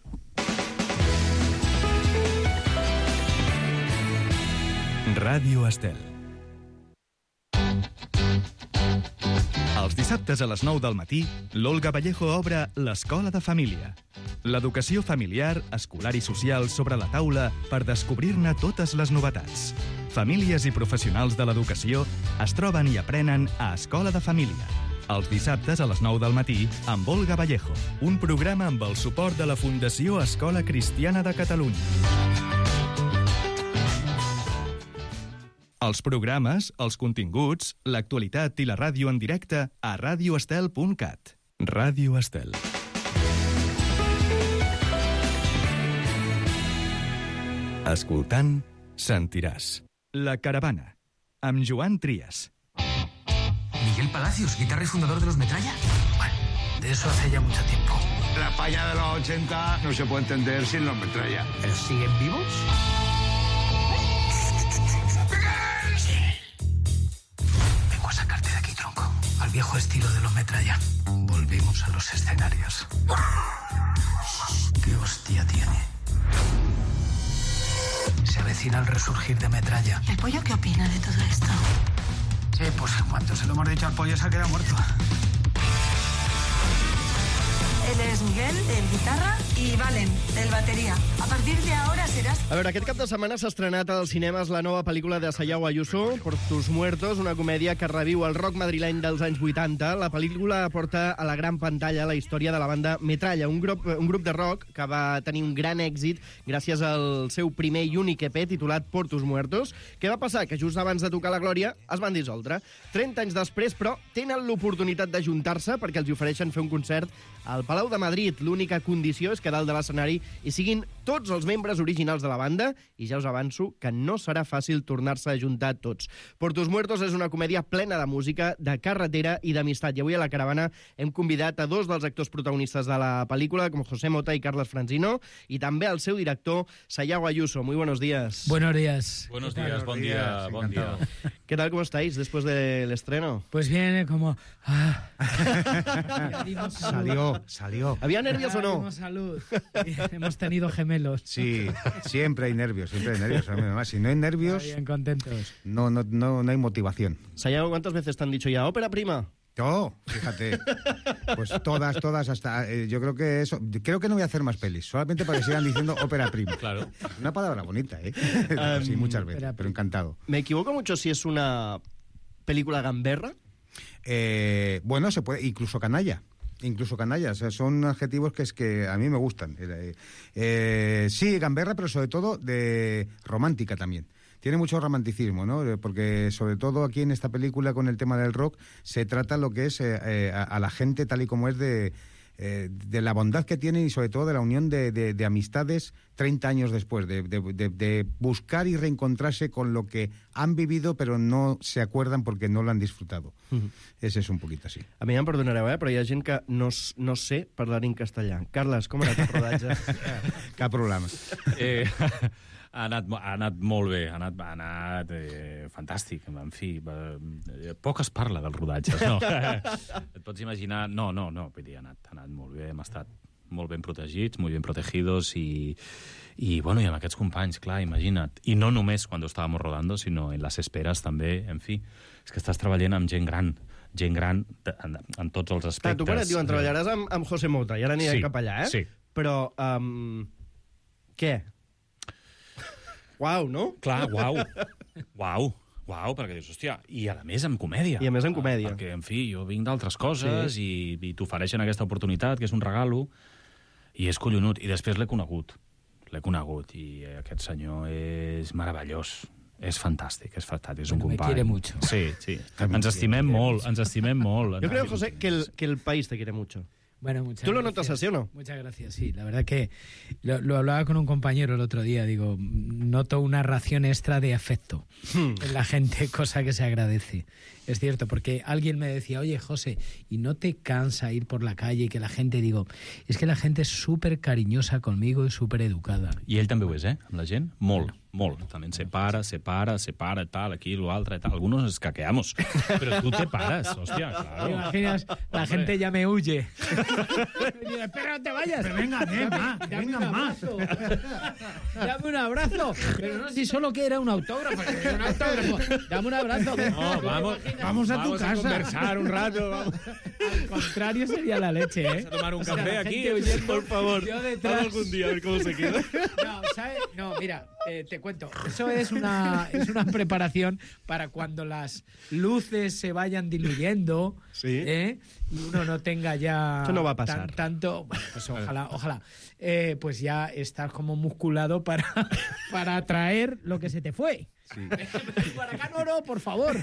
Ràdio Estel. Els dissabtes a les nou del matí, l'Olga Vallejo obre l'Escola de Família. L'educació familiar, escolar i social sobre la taula per descobrir-ne totes les novetats. Famílies i professionals de l'educació es troben i aprenen a Escola de Família. Els dissabtes a les nou del matí amb Olga Vallejo. Un programa amb el suport de la Fundació Escola Cristiana de Catalunya. Els programes, els continguts, l'actualitat i la ràdio en directe a radioestel punt cat. Ràdio Estel. Escoltant, sentiràs. La Caravana, amb Joan Trias. Miguel Palacios, guitarra y fundador de los Metralla. Bueno, de eso hace ya mucho tiempo. La España de los ochenta no se puede entender sin los Metralla. ¿Pero siguen vivos? Vengo a sacarte de aquí, tronco. Al viejo estilo de los Metralla. Volvemos a los escenarios. ¿Qué hostia tiene? Se avecina el resurgir de Metralla. ¿El pollo qué opina de todo esto? Sí, pues en cuanto se lo hemos dicho al pollo se ha quedado muerto. Él es Miguel, el guitarra, y Valen, el batería. A partir de ahora serás... A veure, aquest cap de setmana s'ha estrenat als cinemes la nova pel·lícula de Sayao Ayuso, Por tus muertos, una comèdia que reviu el rock madrileny dels anys vuitanta. La pel·lícula porta a la gran pantalla la història de la banda Metralla, un grup, un grup de rock que va tenir un gran èxit gràcies al seu primer i únic E P titulat Por tus muertos. Què va passar? Que just abans de tocar la glòria es van dissoldre. trenta anys després, però, tenen l'oportunitat d'ajuntar-se perquè els ofereixen fer un concert al Palau de Madrid. L'única condició és que dalt de l'escenari hi siguin tots els membres originals de la banda, i ja us avanço que no serà fàcil tornar-se a juntar tots. Por tus muertos és una comèdia plena de música, de carretera i d'amistat. I avui a la Caravana hem convidat a dos dels actors protagonistes de la pel·lícula, com José Mota i Carles Franzino, i també al seu director, Sayao Ayuso. Muy buenos días. Buenos días. Buenos días, buen día, buen día. ¿Qué tal, cómo estáis después del estreno? Pues bien, como... Ah. Salió, salió. ¿Había nervios o no? Salud. Hemos tenido gemelos. Sí, siempre hay nervios, siempre hay nervios. Además, si no hay nervios, bien contentos. No, no, no, no hay motivación. Sayao, ¿cuántas veces te han dicho ya ópera prima? Oh, fíjate. Pues todas, todas, hasta... Eh, yo creo que eso... Creo que no voy a hacer más pelis, solamente para que sigan diciendo ópera prima. Claro. Una palabra bonita, ¿eh? Um, sí, muchas veces, pero encantado. ¿Me equivoco mucho si es una película gamberra? Eh, bueno, se puede... Incluso canalla. Incluso canalla, o sea, son adjetivos que es que a mí me gustan. Eh, eh, sí, gamberra, pero sobre todo de romántica también. Tiene mucho romanticismo, ¿no? Porque sobre todo aquí en esta película con el tema del rock se trata lo que es eh, eh, a, a la gente tal y como es de, eh, de la bondad que tienen y sobre todo de la unión de, de, de amistades treinta años después, de, de, de, de buscar y reencontrarse con lo que han vivido, pero no se acuerdan porque no lo han disfrutado. Uh-huh. Ese és un poquit així. A mi em perdonareu, eh? Però hi ha gent que no, no sé parlar en castellà. Carles, com ha anat el rodatge? Cap problema. Eh, ha, anat, ha anat molt bé, ha anat, ha anat eh, fantàstic, en fi. Eh, poc es parla dels rodatges, no? Et pots imaginar... No, no, no, vull dir, ha anat, ha anat molt bé, hem estat molt ben protegits, molt ben protegidos i, i, bueno, i amb aquests companys, clar, imagina't. I no només quan estàvem rodando, sinó en les esperes també, en fi. És que estàs treballant amb gent gran, gent gran en, en tots els aspectes. Clar, tu quan et diuen treballaràs amb, amb José Mota, i ara anirem sí, cap allà, eh? Sí. Però, um, què? Uau, no? Clar, uau. Uau. Uau, perquè dius, hòstia, i a més amb comèdia. I a més amb comèdia. Perquè, en fi, jo vinc d'altres coses sí. i, i t'ofereixen aquesta oportunitat, que és un regalo, i és collonut. I després l'he conegut. L'he conegut, i aquest senyor és meravellós. És fantàstic, és fantàstic, és un bueno, company. Me quiere mucho. Sí, sí. Ens estimem molt, ens estimem molt. Yo creo, José, que el, que el país te quiere mucho. Bueno, muchas ¿Tú lo gracias. notas así o no? Muchas gracias, sí. La verdad que lo, lo hablaba con un compañero el otro día. Digo, noto una ración extra de afecto hmm. en la gente, cosa que se agradece. Es cierto, porque alguien me decía, oye, José, ¿y no te cansa ir por la calle y que la gente, digo, es que la gente es súper cariñosa conmigo y súper educada? I ell també ho és, eh? Amb la gent? Molt, molt. També se para, se para, se para, tal, aquí, lo altre, tal. Algunos nos caqueamos, pero tú te paras, hostia, claro. ¿Te imaginas? La Hombre. gente ya me huye. Espera, no te vayas. Pero venga, ven, más, venga más. Dame un abrazo. Pero no, si solo que era un autógrafo. Que era un autógrafo. Dame un abrazo. No, vamos, vamos a vamos tu casa. a conversar un rato. Vamos. Al contrario sería la leche, ¿eh? Vamos a tomar un o sea, café aquí, huyendo, por favor. Yo detrás. Vamos algún día a ver cómo se queda. No, ¿sabes? No, mira, eh, te cuento. Eso es una, es una preparación para cuando las luces se vayan diluyendo, sí. ¿eh? Y uno no tenga ya... Eso no va a pasar. Tan, tanto... Bueno, pues ojalá, ojalá. Eh, pues ya estás como musculado para, para atraer lo que se te fue. Sí. Para acá no, no, por favor.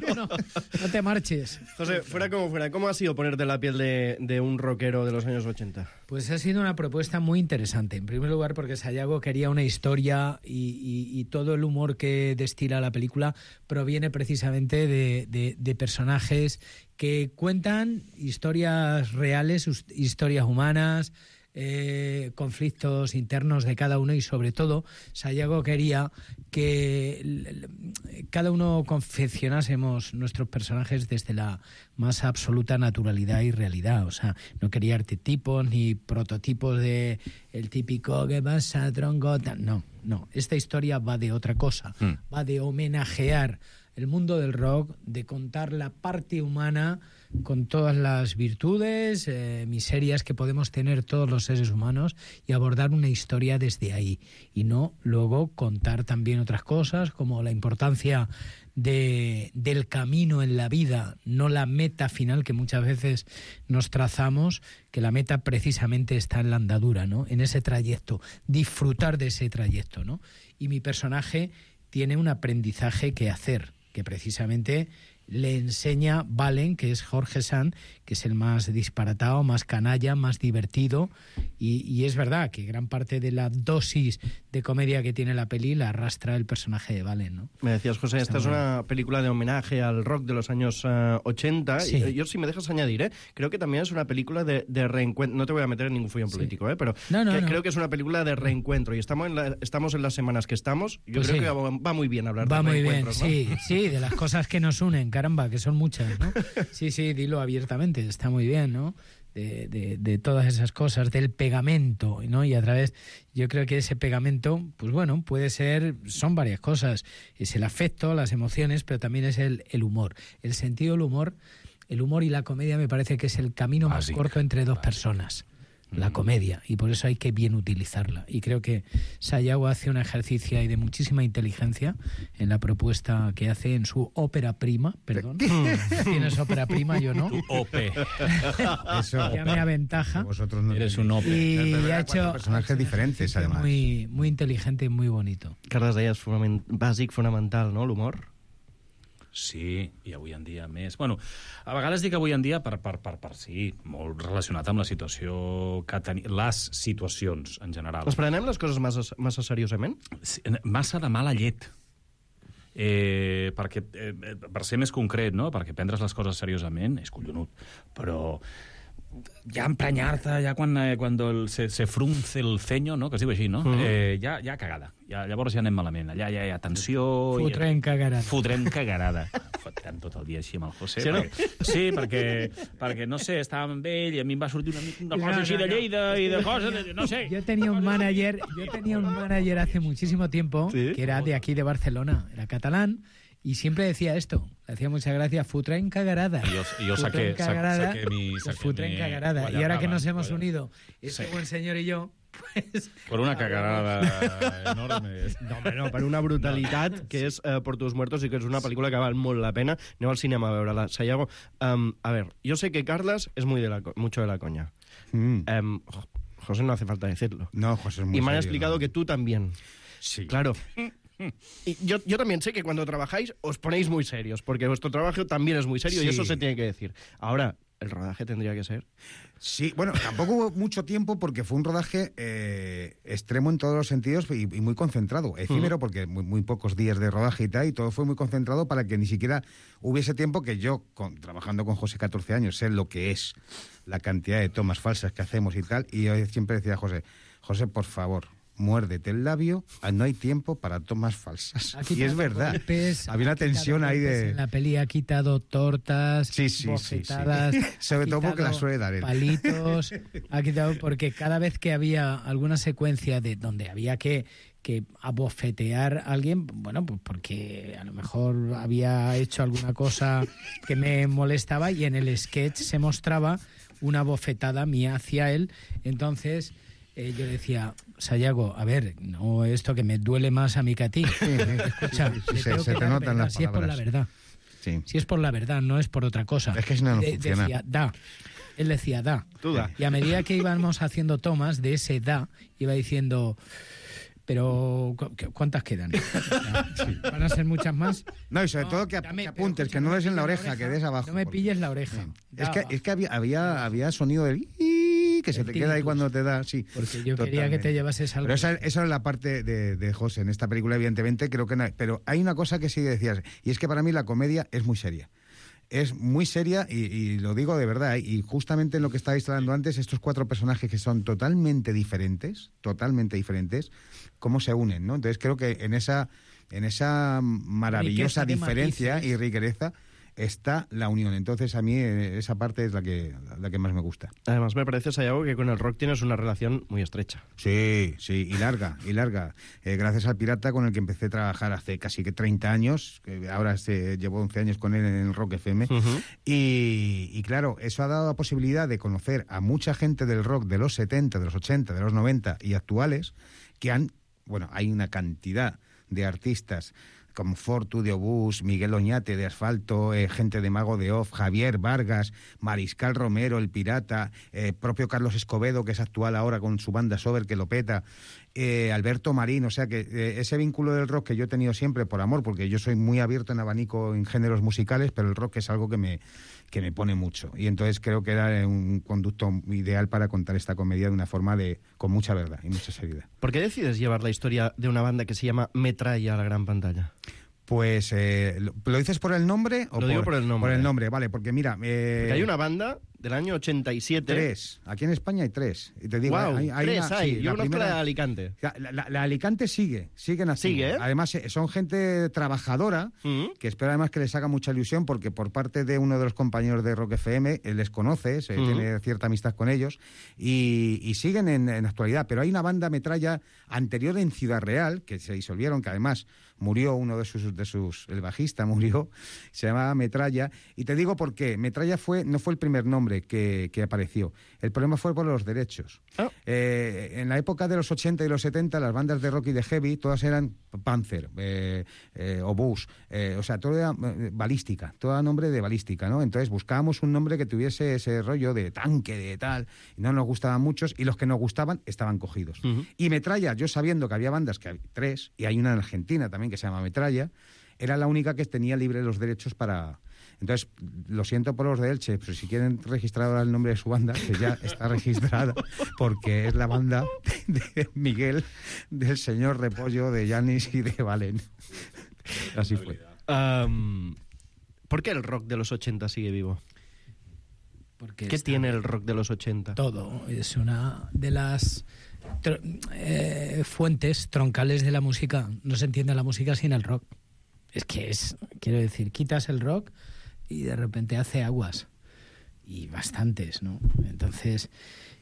No, no, no te marches. José, fuera como fuera, ¿cómo ha sido ponerte la piel de, de un rockero de los años ochenta? Pues ha sido una propuesta muy interesante. En primer lugar, porque Sayago quería una historia y, y, y todo el humor que destila la película proviene precisamente de, de, de personajes que cuentan historias reales, historias humanas, Eh, conflictos internos de cada uno y sobre todo Sayago quería que cada uno confeccionásemos nuestros personajes desde la más absoluta naturalidad y realidad. O sea, no quería arquetipos ni prototipos de el típico ¿qué pasa, tronco? No, no, esta historia va de otra cosa, mm. va de homenajear el mundo del rock, de contar la parte humana con todas las virtudes, eh, miserias que podemos tener todos los seres humanos y abordar una historia desde ahí. Y no luego contar también otras cosas como la importancia de, del camino en la vida, no la meta final que muchas veces nos trazamos, que la meta precisamente está en la andadura, ¿no? En ese trayecto, disfrutar de ese trayecto, ¿no? Y mi personaje tiene un aprendizaje que hacer, que precisamente le enseña Valen, que es Jorge Sanz, que es el más disparatado, más canalla, más divertido, y, y es verdad que gran parte de la dosis de comedia que tiene la peli la arrastra el personaje de Valen, ¿no? Me decías, José, Está esta es una bien. película de homenaje al rock de los años uh, ochenta, sí. y yo, si me dejas añadir, ¿eh? creo que también es una película de, de reencuentro, no te voy a meter en ningún follón sí. político, ¿eh? pero no, no, que, no. creo que es una película de reencuentro, y estamos en, la, estamos en las semanas que estamos, yo pues creo sí. que va, va muy bien hablar va de Va reencuentros, muy bien, ¿no? sí, sí, de las cosas que nos unen, caramba, que son muchas, ¿no? Sí, sí, dilo abiertamente, está muy bien, ¿no? De, de, de todas esas cosas, del pegamento, ¿no? Y a través, yo creo que ese pegamento, pues bueno, puede ser, son varias cosas. Es el afecto, las emociones, pero también es el, el humor. El sentido del humor, el humor y la comedia me parece que es el camino más Básica. corto entre dos Básica. personas. La comedia, y por eso hay que bien utilizarla. Y creo que Sayago hace un ejercicio ahí de muchísima inteligencia en la propuesta que hace en su ópera prima, perdón. Tienes ópera prima, yo no. Tu O P. Eso. Ya me aventaja. Vosotros no eres un O P. Y ha hecho personajes diferentes, además. Muy, muy inteligente y muy bonito. Carles, deies fonament, bàsic, fonamental, no?, l'humor? Sí, i avui en dia més. Bueno, a vegades dic avui en dia per, per, per, per sí, molt relacionat amb la situació que tenim, les situacions en general. Les prenem les coses massa, massa seriosament? Sí, massa de mala llet. Eh, perquè, eh, per ser més concret, no? Perquè prendre's les coses seriosament és collonut, però ja emprenyar-te, ja quan, eh, quan el, se, se frunce el ceño, no? Que es diu així, no? Mm. Eh, ja, ja cagada. Ja, llavors ja anem malament. Allà ja hi ha tensió... Fotrem cagarada. Fotrem cagarada. Fotrem tot el dia així amb el José. Sí, no? perquè, sí perquè, perquè, no sé, estàvem amb ell i a mi em va sortir una, una cosa no, així no, de Lleida no. i de coses, de, no sé. Yo tenía un manager, yo tenía un manager hace muchísimo tiempo, ¿sí? que era de aquí de Barcelona, era catalán, y siempre decía esto, le hacía mucha gracia, futra en cagarada. Y yo, y yo saqué, cagarada, saqué mi... Saqué futra en cagarada. Y ahora que nos hemos vaya. unido, este sí. buen señor y yo, pues... Por una cagarada enorme. No, home, no, per una brutalitat que és eh, Por tus muertos i que és una pel·lícula que val molt la pena. Aneu al cinema a veure-la. Sayago, um, a ver, yo sé que Carlas es muy de la, mucho de la coña. Mm. Um, José no hace falta decirlo. No, José es muy Y me han serio, explicado ¿no? que tú también. Sí. Claro. Y yo, yo también sé que cuando trabajáis os ponéis muy serios, porque vuestro trabajo también es muy serio sí. y eso se tiene que decir. Ahora, ¿el rodaje tendría que ser? Sí, bueno, tampoco hubo mucho tiempo porque fue un rodaje eh, extremo en todos los sentidos y, y muy concentrado. Efímero, uh-huh. porque muy, muy pocos días de rodaje y tal, y todo fue muy concentrado para que ni siquiera hubiese tiempo que yo, con, trabajando con José catorce años, sé lo que es la cantidad de tomas falsas que hacemos y tal, y yo siempre decía a José, José, por favor, muérdete el labio, no hay tiempo para tomas falsas. Y es verdad. Golpes, había una tensión ahí de... En la peli ha quitado tortas, sí, sí, bofetadas... Sí, sí. Sobre todo porque la suele dar él. Palitos, ha quitado... Porque cada vez que había alguna secuencia de donde había que, que abofetear a alguien, bueno, pues porque a lo mejor había hecho alguna cosa que me molestaba y en el sketch se mostraba una bofetada mía hacia él, entonces... Eh, yo decía, Sayago, a ver, no esto que me duele más a mí que a ti. Escucha, sí, sí, se, se te notan las palabras. Si es por la verdad. Sí. Si es por la verdad, no es por otra cosa. Es que si no, no de, funciona. Decía, da. Él decía, da. Tú da. Y a medida que íbamos haciendo tomas de ese da, iba diciendo... Pero, ¿cuántas quedan? Sí. ¿Van a ser muchas más? No, y sobre no, todo que, dame, que apuntes, que no des en la oreja, oreja, que des abajo. No me pilles la oreja. Es que, es que había, había, había sonido del... que se te queda ahí cuando te da, sí. Porque yo totalmente. Quería que te llevases algo. Pero esa, esa es la parte de, de José en esta película, evidentemente, creo que no. Pero hay una cosa que sí decías, y es que para mí la comedia es muy seria. Es muy seria y, y lo digo de verdad, y justamente en lo que estabais hablando antes, estos cuatro personajes que son totalmente diferentes, totalmente diferentes, cómo se unen, ¿no? Entonces creo que en esa, en esa maravillosa diferencia y riqueza está la unión. Entonces a mí esa parte es la que, la que más me gusta. Además me parece, Sayago, que con el rock tienes una relación muy estrecha. Sí, sí, y larga, y larga. Eh, gracias al Pirata, con el que empecé a trabajar hace casi que treinta años, que ahora se llevo once años con él en el Rock F M, uh-huh. y, y claro, eso ha dado la posibilidad de conocer a mucha gente del rock de los setenta, de los ochenta, de los noventa y actuales, que han, bueno, hay una cantidad de artistas como Fortu de Obús, Miguel Oñate de Asfalto, eh, gente de Mago de Off, Javier Vargas, Mariscal Romero, el Pirata, eh, propio Carlos Escobedo, que es actual ahora con su banda Sober, que lo peta, eh, Alberto Marín, o sea que eh, ese vínculo del rock que yo he tenido siempre por amor, porque yo soy muy abierto en abanico en géneros musicales, pero el rock es algo que me, que me pone mucho. Y entonces creo que era un conducto ideal para contar esta comedia de una forma de con mucha verdad y mucha seriedad. ¿Por qué decides llevar la historia de una banda que se llama Metralla a la gran pantalla? Pues, eh, ¿lo, ¿lo dices por el nombre? O Lo digo por el nombre. Por el nombre, vale, porque mira... Eh, porque hay una banda del año ochenta y siete. Tres. Aquí en España hay tres. Y te digo, wow, hay, hay tres una, hay. Sí, Yo la conozco primera, la de Alicante. La, la, la Alicante sigue, siguen así. Sigue, ¿eh? Además, son gente trabajadora, uh-huh. que espero además que les haga mucha ilusión, porque por parte de uno de los compañeros de Rock F M, él les conoce, se uh-huh. tiene cierta amistad con ellos, y, y siguen en, en actualidad. Pero hay una banda Metralla anterior en Ciudad Real, que se disolvieron, que además murió uno de sus, de sus el bajista murió, se llamaba Metralla, y te digo por qué. Metralla fue, no fue el primer nombre que, que apareció. El problema fue por los derechos. Oh. Eh, en la época de los ochenta y los setenta, las bandas de rock y de heavy, todas eran Panzer, eh, eh, Obús, eh, o sea, todo era eh, balística, todo era nombre de balística, ¿no? Entonces buscábamos un nombre que tuviese ese rollo de tanque, de tal, y no nos gustaban muchos, y los que nos gustaban estaban cogidos. Uh-huh. Y Metralla, yo sabiendo que había bandas, que hay tres, y hay una en Argentina también que se llama Metralla, era la única que tenía libre los derechos para... Entonces, lo siento por los de Elche, pero si quieren registrar ahora el nombre de su banda, que ya está registrada, porque es la banda de, de Miguel, del señor Repollo, de Yanis y de Valen. Así fue. Um, ¿Por qué el rock de los ochenta sigue vivo? Porque ¿Qué tiene el rock de los ochenta? Todo. Es una de las tr eh, fuentes troncales de la música. No se entiende la música sin el rock. Es que es, quiero decir, quitas el rock y de repente hace aguas. Y bastantes, ¿no? Entonces,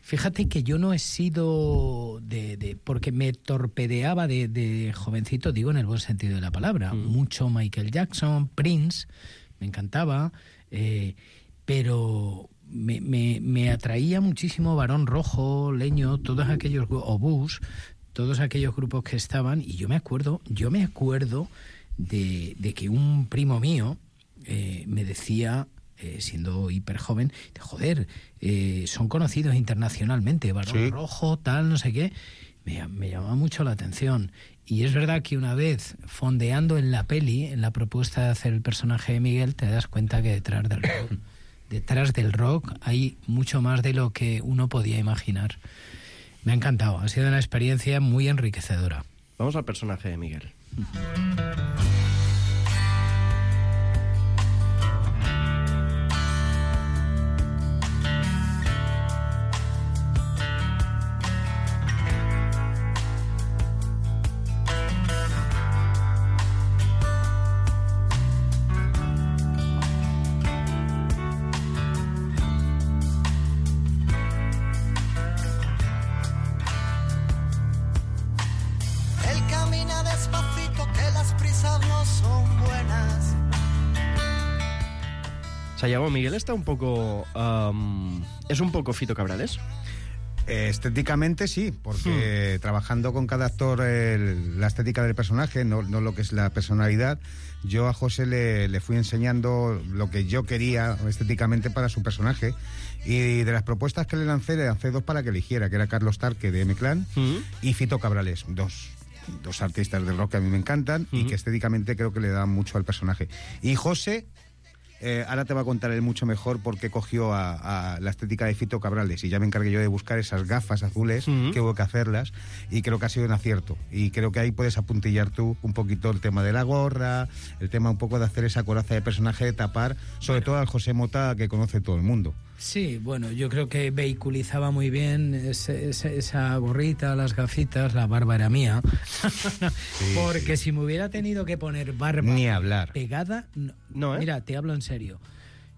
fíjate que yo no he sido de... de porque me torpedeaba de, de jovencito, digo en el buen sentido de la palabra. Mm. Mucho Michael Jackson, Prince, me encantaba, eh, pero me, me, me atraía muchísimo Barón Rojo, Leño, todos aquellos... o Bush, todos aquellos grupos que estaban, y yo me acuerdo, yo me acuerdo de, de que un primo mío eh, me decía... Eh, siendo hiper joven, joder, eh, son conocidos internacionalmente, Barón sí. Rojo, tal, no sé qué, me, me llamaba mucho la atención. Y es verdad que una vez fondeando en la peli, en la propuesta de hacer el personaje de Miguel, te das cuenta que detrás del rock, detrás del rock hay mucho más de lo que uno podía imaginar. Me ha encantado, ha sido una experiencia muy enriquecedora. Vamos al personaje de Miguel. Sayago, Miguel está un poco... Um, ¿Es un poco Fito Cabrales? Eh, estéticamente sí, porque hmm. trabajando con cada actor el, la estética del personaje, no, no lo que es la personalidad, yo a José le, le fui enseñando lo que yo quería estéticamente para su personaje, y de las propuestas que le lancé, le lancé dos para que eligiera, que era Carlos Tarque de M-Clan hmm. y Fito Cabrales, dos... dos artistas del rock que a mí me encantan uh-huh. y que estéticamente creo que le dan mucho al personaje. Y José, eh, ahora te va a contar él mucho mejor por qué cogió a, a la estética de Fito Cabrales, y ya me encargué yo de buscar esas gafas azules, uh-huh. que hubo que hacerlas, y creo que ha sido un acierto. Y creo que ahí puedes apuntillar tú un poquito el tema de la gorra, el tema un poco de hacer esa coraza de personaje, de tapar, sobre bueno. todo al José Mota, que conoce todo el mundo. Sí, bueno, yo creo que vehiculizaba muy bien ese, ese, esa gorrita, las gafitas, la barba era mía. Sí, porque sí. si me hubiera tenido que poner barba Ni hablar. pegada, no, no ¿eh? Mira, te hablo en serio.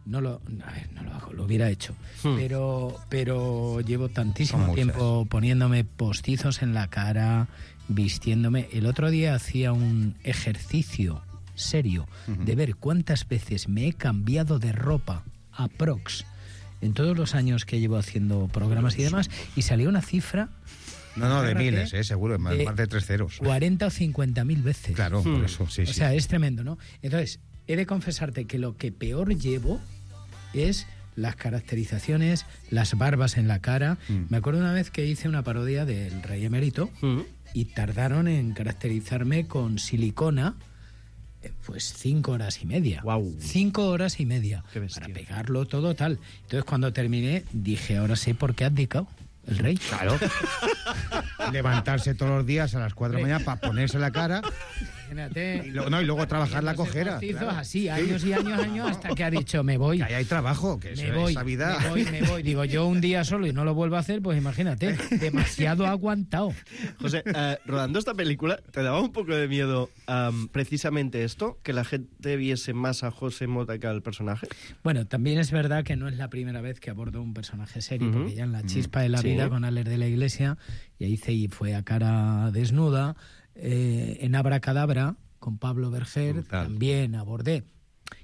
No lo, a ver, no lo hago, lo hubiera hecho. Hmm. Pero, pero llevo tantísimo tiempo poniéndome postizos en la cara, vistiéndome. El otro día hacía un ejercicio serio uh-huh. de ver cuántas veces me he cambiado de ropa aprox en todos los años que llevo haciendo programas y demás, y salió una cifra... No, no, de miles, eh, seguro, más de, más de tres ceros. cuarenta o cincuenta mil veces. Claro, hmm. por eso, sí, O sí. sea, es tremendo, ¿no? Entonces, he de confesarte que lo que peor llevo es las caracterizaciones, las barbas en la cara. Hmm. Me acuerdo una vez que hice una parodia del Rey Emérito hmm. y tardaron en caracterizarme con silicona pues cinco horas y media. Wow. Cinco horas y media. Para pegarlo todo tal. Entonces cuando terminé dije, ahora sé por qué ha abdicado el rey. Claro. Levantarse todos los días a las cuatro de la mañana para ponerse la cara. Imagínate. Y, lo, no, y luego trabajar la cojera. Claro. Así, años y años, años, hasta que ha dicho, me voy. Que ahí hay trabajo, que me eso, voy, esa vida... Me voy, me voy. Digo, yo un día solo y no lo vuelvo a hacer, pues imagínate, demasiado aguantado. José, eh, rodando esta película, ¿te daba un poco de miedo um, precisamente esto? ¿Que la gente viese más a José Mota que al personaje? Bueno, también es verdad que no es la primera vez que abordo un personaje serio, uh-huh. porque ya en La Chispa de la sí. Vida, con Alex de la Iglesia, y ahí hice y fue a cara desnuda, eh, en Abracadabra, con Pablo Berger, Brutal. También abordé.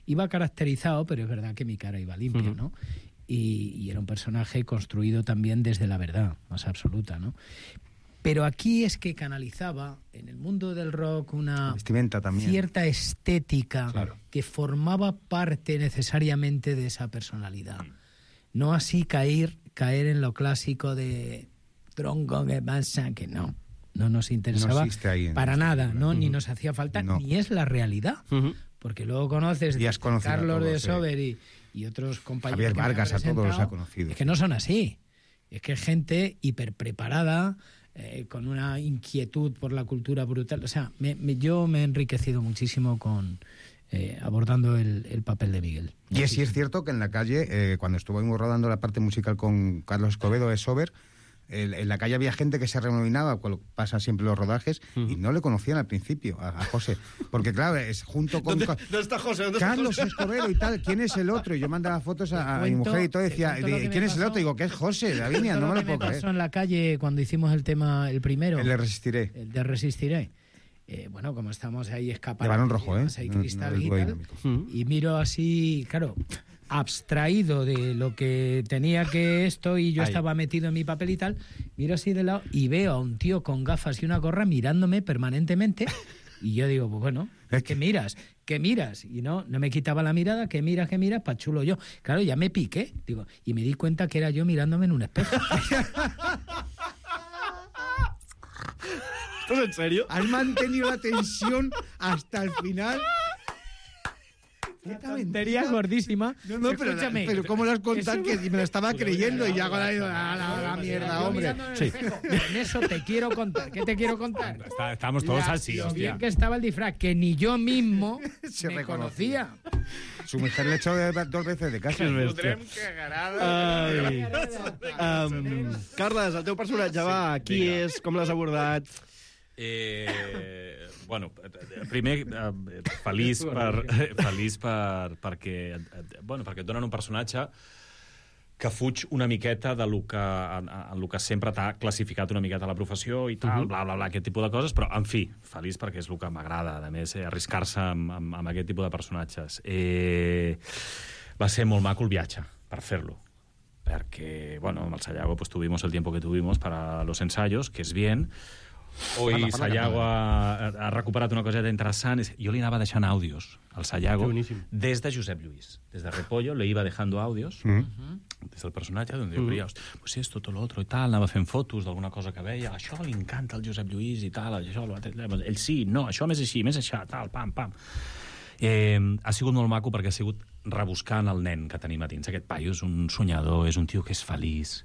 Iba caracterizado, pero es verdad que mi cara iba limpia, uh-huh. ¿no? Y, y era un personaje construido también desde la verdad más absoluta, ¿no? Pero aquí es que canalizaba en el mundo del rock una vestimenta también. Cierta estética claro. que formaba parte necesariamente de esa personalidad. No así caer, caer en lo clásico de tronco que pasa, que no. no nos interesaba No ahí para este nada, libro. ¿no? Uh-huh. Ni nos hacía falta, No. ni es la realidad. Uh-huh. Porque luego conoces Y has a conocido a Carlos todos, de sí. Sober y, y otros compañeros. Javier que me han Vargas, a todos los presentado. ha conocido. Es que no son así. Es que es gente hiperpreparada, eh, con una inquietud por la cultura brutal. O sea, me, me, yo me he enriquecido muchísimo con eh, abordando el, el papel de Miguel. Y es, sí es cierto que en la calle, eh, cuando estuvimos rodando la parte musical con Carlos Escobedo de Sober, el, en la calle había gente que se renominaba, cuando pasa siempre los rodajes, y no le conocían al principio a, a José. Porque claro, es junto con... ¿Dónde, ¿dónde está José? ¿Dónde está Carlos José? Escobedo y tal, ¿quién es el otro? Y yo mandaba fotos a, a mi cuento- mujer y todo, te decía, cuento lo que me ¿quién es el pasó? otro? Digo, ¿qué es José? Lavinia, no me lo que puedo me pasó creer. en la calle cuando hicimos el tema, el primero. El de Resistiré. El de Resistiré. Eh, bueno, como estamos ahí escapando. De Barón Rojo, ¿eh? Hay No- no cristal del y Duey tal, Dinámico. y miro así, claro, abstraído de lo que tenía que esto, y yo Ahí. estaba metido en mi papel y tal, miro así de lado y veo a un tío con gafas y una gorra mirándome permanentemente, y yo digo, pues bueno, ¿qué miras? ¿Qué miras? Y no, no me quitaba la mirada, ¿qué miras, qué miras? Pa' chulo yo. Claro, ya me piqué, digo, y me di cuenta que era yo mirándome en un espejo. ¿Estás en serio? Has mantenido la tensión hasta el final. Tontería gordísima. No, no, pero, Escúchame. pero ¿cómo lo has contado? Eso- Que me lo estaba creyendo y ya hago la, la, la, la mierda, Yo hombre. mirando en el Sí. espejo. En eso te quiero contar. ¿Qué te quiero contar? Está- estamos todos La- así, lo hostia. bien que estaba el disfraz, que ni yo mismo Se me reconocía. conocía. Su mujer le echó de- dos veces de casa. Que bèstia. Ai. Um, Carles, el teu personatge, va, qui Vinga. és, com l'has abordat? Eh, bueno, eh, primer, eh, feliç, per, feliç per, perquè, eh, bueno, perquè et donen un personatge que fuig una miqueta de lo que, en, en lo que sempre t'ha classificat una miqueta la professió i tal, Mhm. bla, bla, bla, aquest tipus de coses, però, en fi, feliç perquè és el que m'agrada, a més, eh, arriscar-se amb, amb, amb aquest tipus de personatges. Eh, va ser molt maco el viatge per fer-lo, perquè, bueno, amb el Sayago pues, tuvimos el tiempo que tuvimos para los ensayos, que és bien. Hoy Parla, parla, Sayago parla. ha, ha recuperat una coseta interessant. Jo li anava deixant àudios al Sayago des de Josep Lluís. Des de Repollo le iba dejando àudios Mm. des del personatge, donde jo Mm. creia, pues esto, todo lo otro i tal, anava fent fotos d'alguna cosa que veia, això li encanta al Josep Lluís i tal, això, ell sí, no, això més així, més això, tal, pam, pam. Eh, ha sigut molt maco perquè ha sigut rebuscant el nen que tenim a dins. Aquest paio és un soñador, és un tio que és feliç,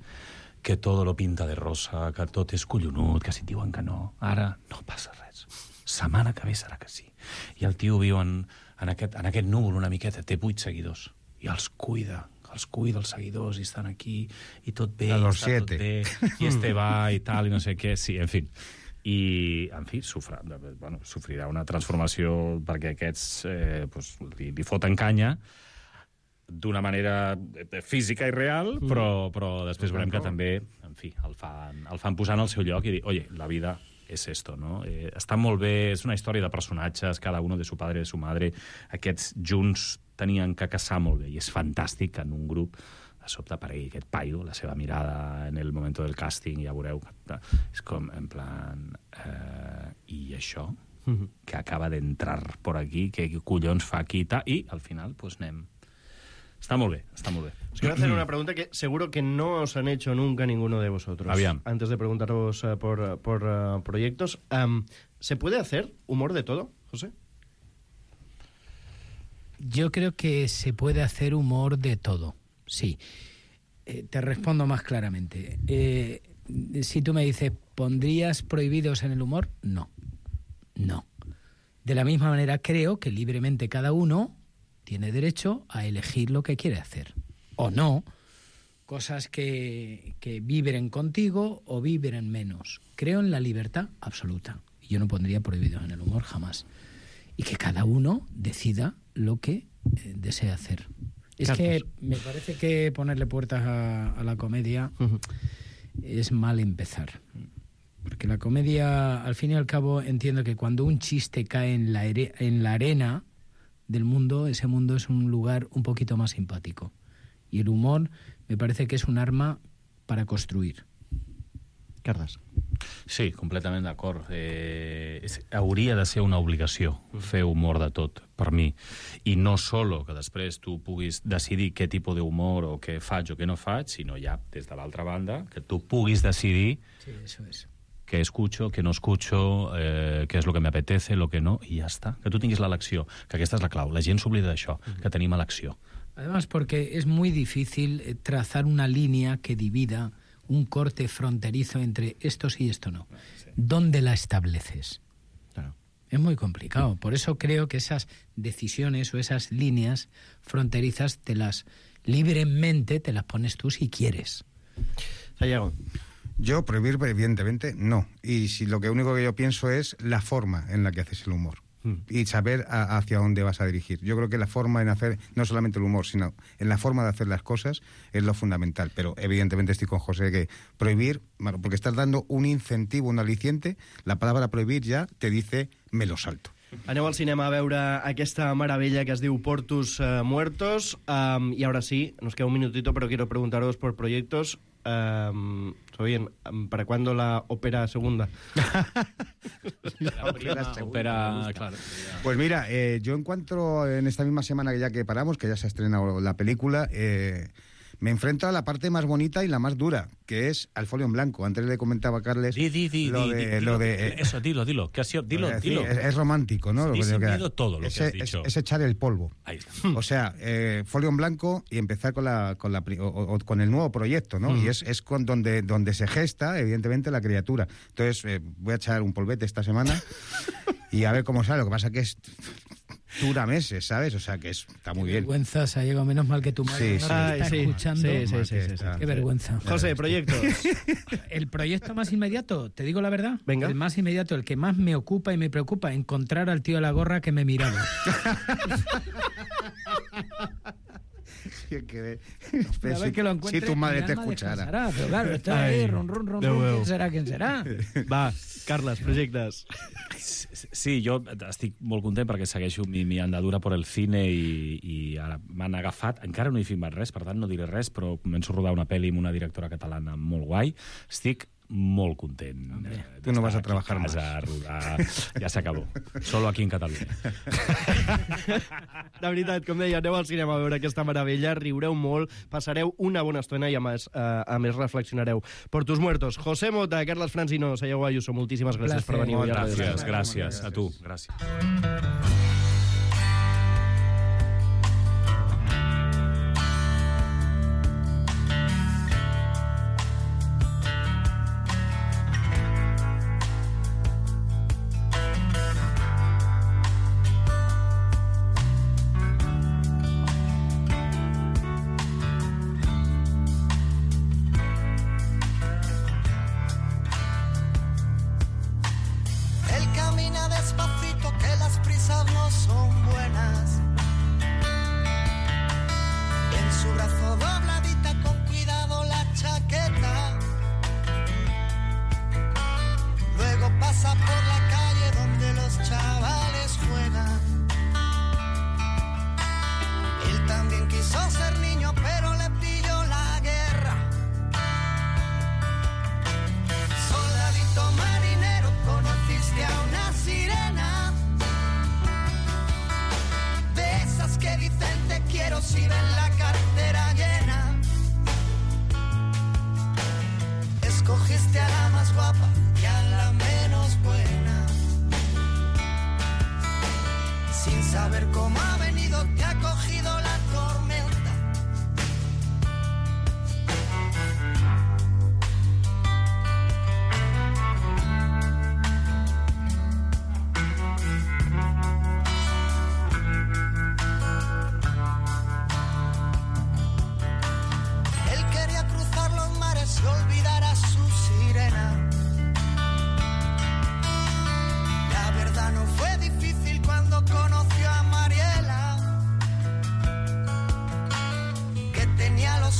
que tot lo pinta de rosa, que tot és collonut, que si et diuen que no, ara no passa res. Setmana que ve serà que sí. I el tio viu en, en, aquest, en aquest núvol una miqueta, té vuit seguidors, i els cuida, els cuida els seguidors, i estan aquí, i tot bé, A i los està tot siete. bé, i este va, i tal, i no sé què, sí, en fi. I, en fi, sofrà, bueno, sofrirà una transformació perquè aquests eh, pues, li, li foten canya, d'una manera física i real, però, però després veurem que també, en fi, el fan, el fan posar en el seu lloc i dir, oye, la vida és esto, no? Eh, està molt bé, és una història de personatges, cada uno de su padre, de su madre, aquests junts tenien que casar molt bé, i és fantàstic que en un grup de sobte aparegui aquest paio, la seva mirada en el moment del càsting, ja veureu, és com, en plan, eh, i això, que acaba d'entrar por aquí, què collons fa aquí i tal, i al final, pues anem. Está muy bien, está muy bien. Os quiero hacer una pregunta que seguro que no os han hecho nunca ninguno de vosotros. Aviam. Antes de preguntaros uh, por, uh, por uh, proyectos, um, ¿se puede hacer humor de todo, José? Yo creo que se puede hacer humor de todo, sí. Eh, te respondo más claramente. Eh, si tú me dices, ¿pondrías prohibidos en el humor? No, no. De la misma manera creo que libremente cada uno tiene derecho a elegir lo que quiere hacer. O no, cosas que, que vibren contigo o vibren menos. Creo en la libertad absoluta. Y yo no pondría prohibidos en el humor jamás. Y que cada uno decida lo que eh, desea hacer. Es Carlos. que me parece que ponerle puertas a, a la comedia uh-huh. es mal empezar. Porque la comedia, al fin y al cabo, entiendo que cuando un chiste cae en la, ere- en la arena del mundo, ese mundo es un lugar un poquito más simpático. Y el humor me parece que es un arma para construir. Carles. Sí, completament d'acord. Eh, és, hauria de ser una obligació fer humor de tot, per mi. I no solo que després tu puguis decidir què tipus d'humor o què faig o què no faig, sinó ja, des de l'altra banda, que tu puguis decidir Sí, eso es. què escucho, què no escucho, eh, què és el que m'apetece, el que no, i ja està. Que tu tinguis l'elecció, que aquesta és la clau. La gent s'oblida d'això, que tenim elecció. Además, porque es muy difícil trazar una línea que divida un corte fronterizo entre esto sí y esto no. Sí. ¿Dónde la estableces? Claro. Es muy complicado. Por eso creo que esas decisiones o esas líneas fronterizas te las libremente te las pones tú si quieres. Sayago. Yo prohibir, evidentemente, no. Y si lo que único que yo pienso es la forma en la que haces el humor. Y saber a, hacia dónde vas a dirigir. Yo creo que la forma en hacer, no solamente el humor, sino en la forma de hacer las cosas es lo fundamental. Pero evidentemente estoy con José que prohibir, bueno, porque estás dando un incentivo, un aliciente, la palabra prohibir ya te dice me lo salto. Aneu al cinema a veure aquesta meravella que es diu Portus uh, Muertos. Um, y ahora sí, nos queda un minutito, pero quiero preguntaros por proyectos. Um, bien, ¿para cuándo la ópera segunda? La prima ópera, claro. Pues mira, eh, yo encuentro en esta misma semana que ya que paramos, que ya se ha estrenado la película, eh, me enfrento a la parte más bonita y la más dura, que es al folio en blanco. Antes le comentaba a Carles di, di, di, lo, di, de, di, lo dilo, de... Eh, eso, dilo, dilo. ¿Qué ha sido? Dilo, es, dilo. Es, es romántico, ¿no? Sí, lo que sin que miedo todo lo es, que has es, dicho. Es, es echar el polvo. Ahí está. O sea, eh, folio en blanco y empezar con la con la o, o, con el nuevo proyecto, ¿no? Mm. Y es, es con donde, donde se gesta, evidentemente, la criatura. Entonces, eh, voy a echar un polvete esta semana y a ver cómo sale. Lo que pasa que es... dura meses, ¿sabes? O sea, que es, está muy bien. Qué vergüenza, Sayago, menos mal que tu madre sí, no sí. te está sí, escuchando. Sí, sí, sí, sí, sí. Qué vergüenza. José, proyectos. El proyecto más inmediato, te digo la verdad, venga. El más inmediato, el que más me ocupa y me preocupa, encontrar al tío de la gorra que me miraba. Sí, que, a ver que lo encuentre, si tu madre te alma escuchara. Pero claro, está ahí, ron, ron, ron, ron, ¿quién serà, quién serà? Va, Carles, projectes. Sí, jo estic molt content perquè segueixo mi, mi andadura per el cine i, i ara m'han agafat. Encara no he filmat res, per tant no diré res, però començo a rodar una pel·li amb una directora catalana molt guai. Estic molt content. Eh, tu no vas a trabajar más. A rodar. Ja s'acabó. Solo aquí en Catalunya. De veritat, com deia, aneu al cinema a veure aquesta meravella, riureu molt, passareu una bona estona i a més, uh, a més reflexionareu. Portus Muertos, José Mota, Carles Francino, Sayago Ayuso, moltíssimes gràcies per venir. Gràcies, gràcies. A tu, gràcies.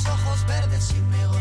Ojos verdes y negros.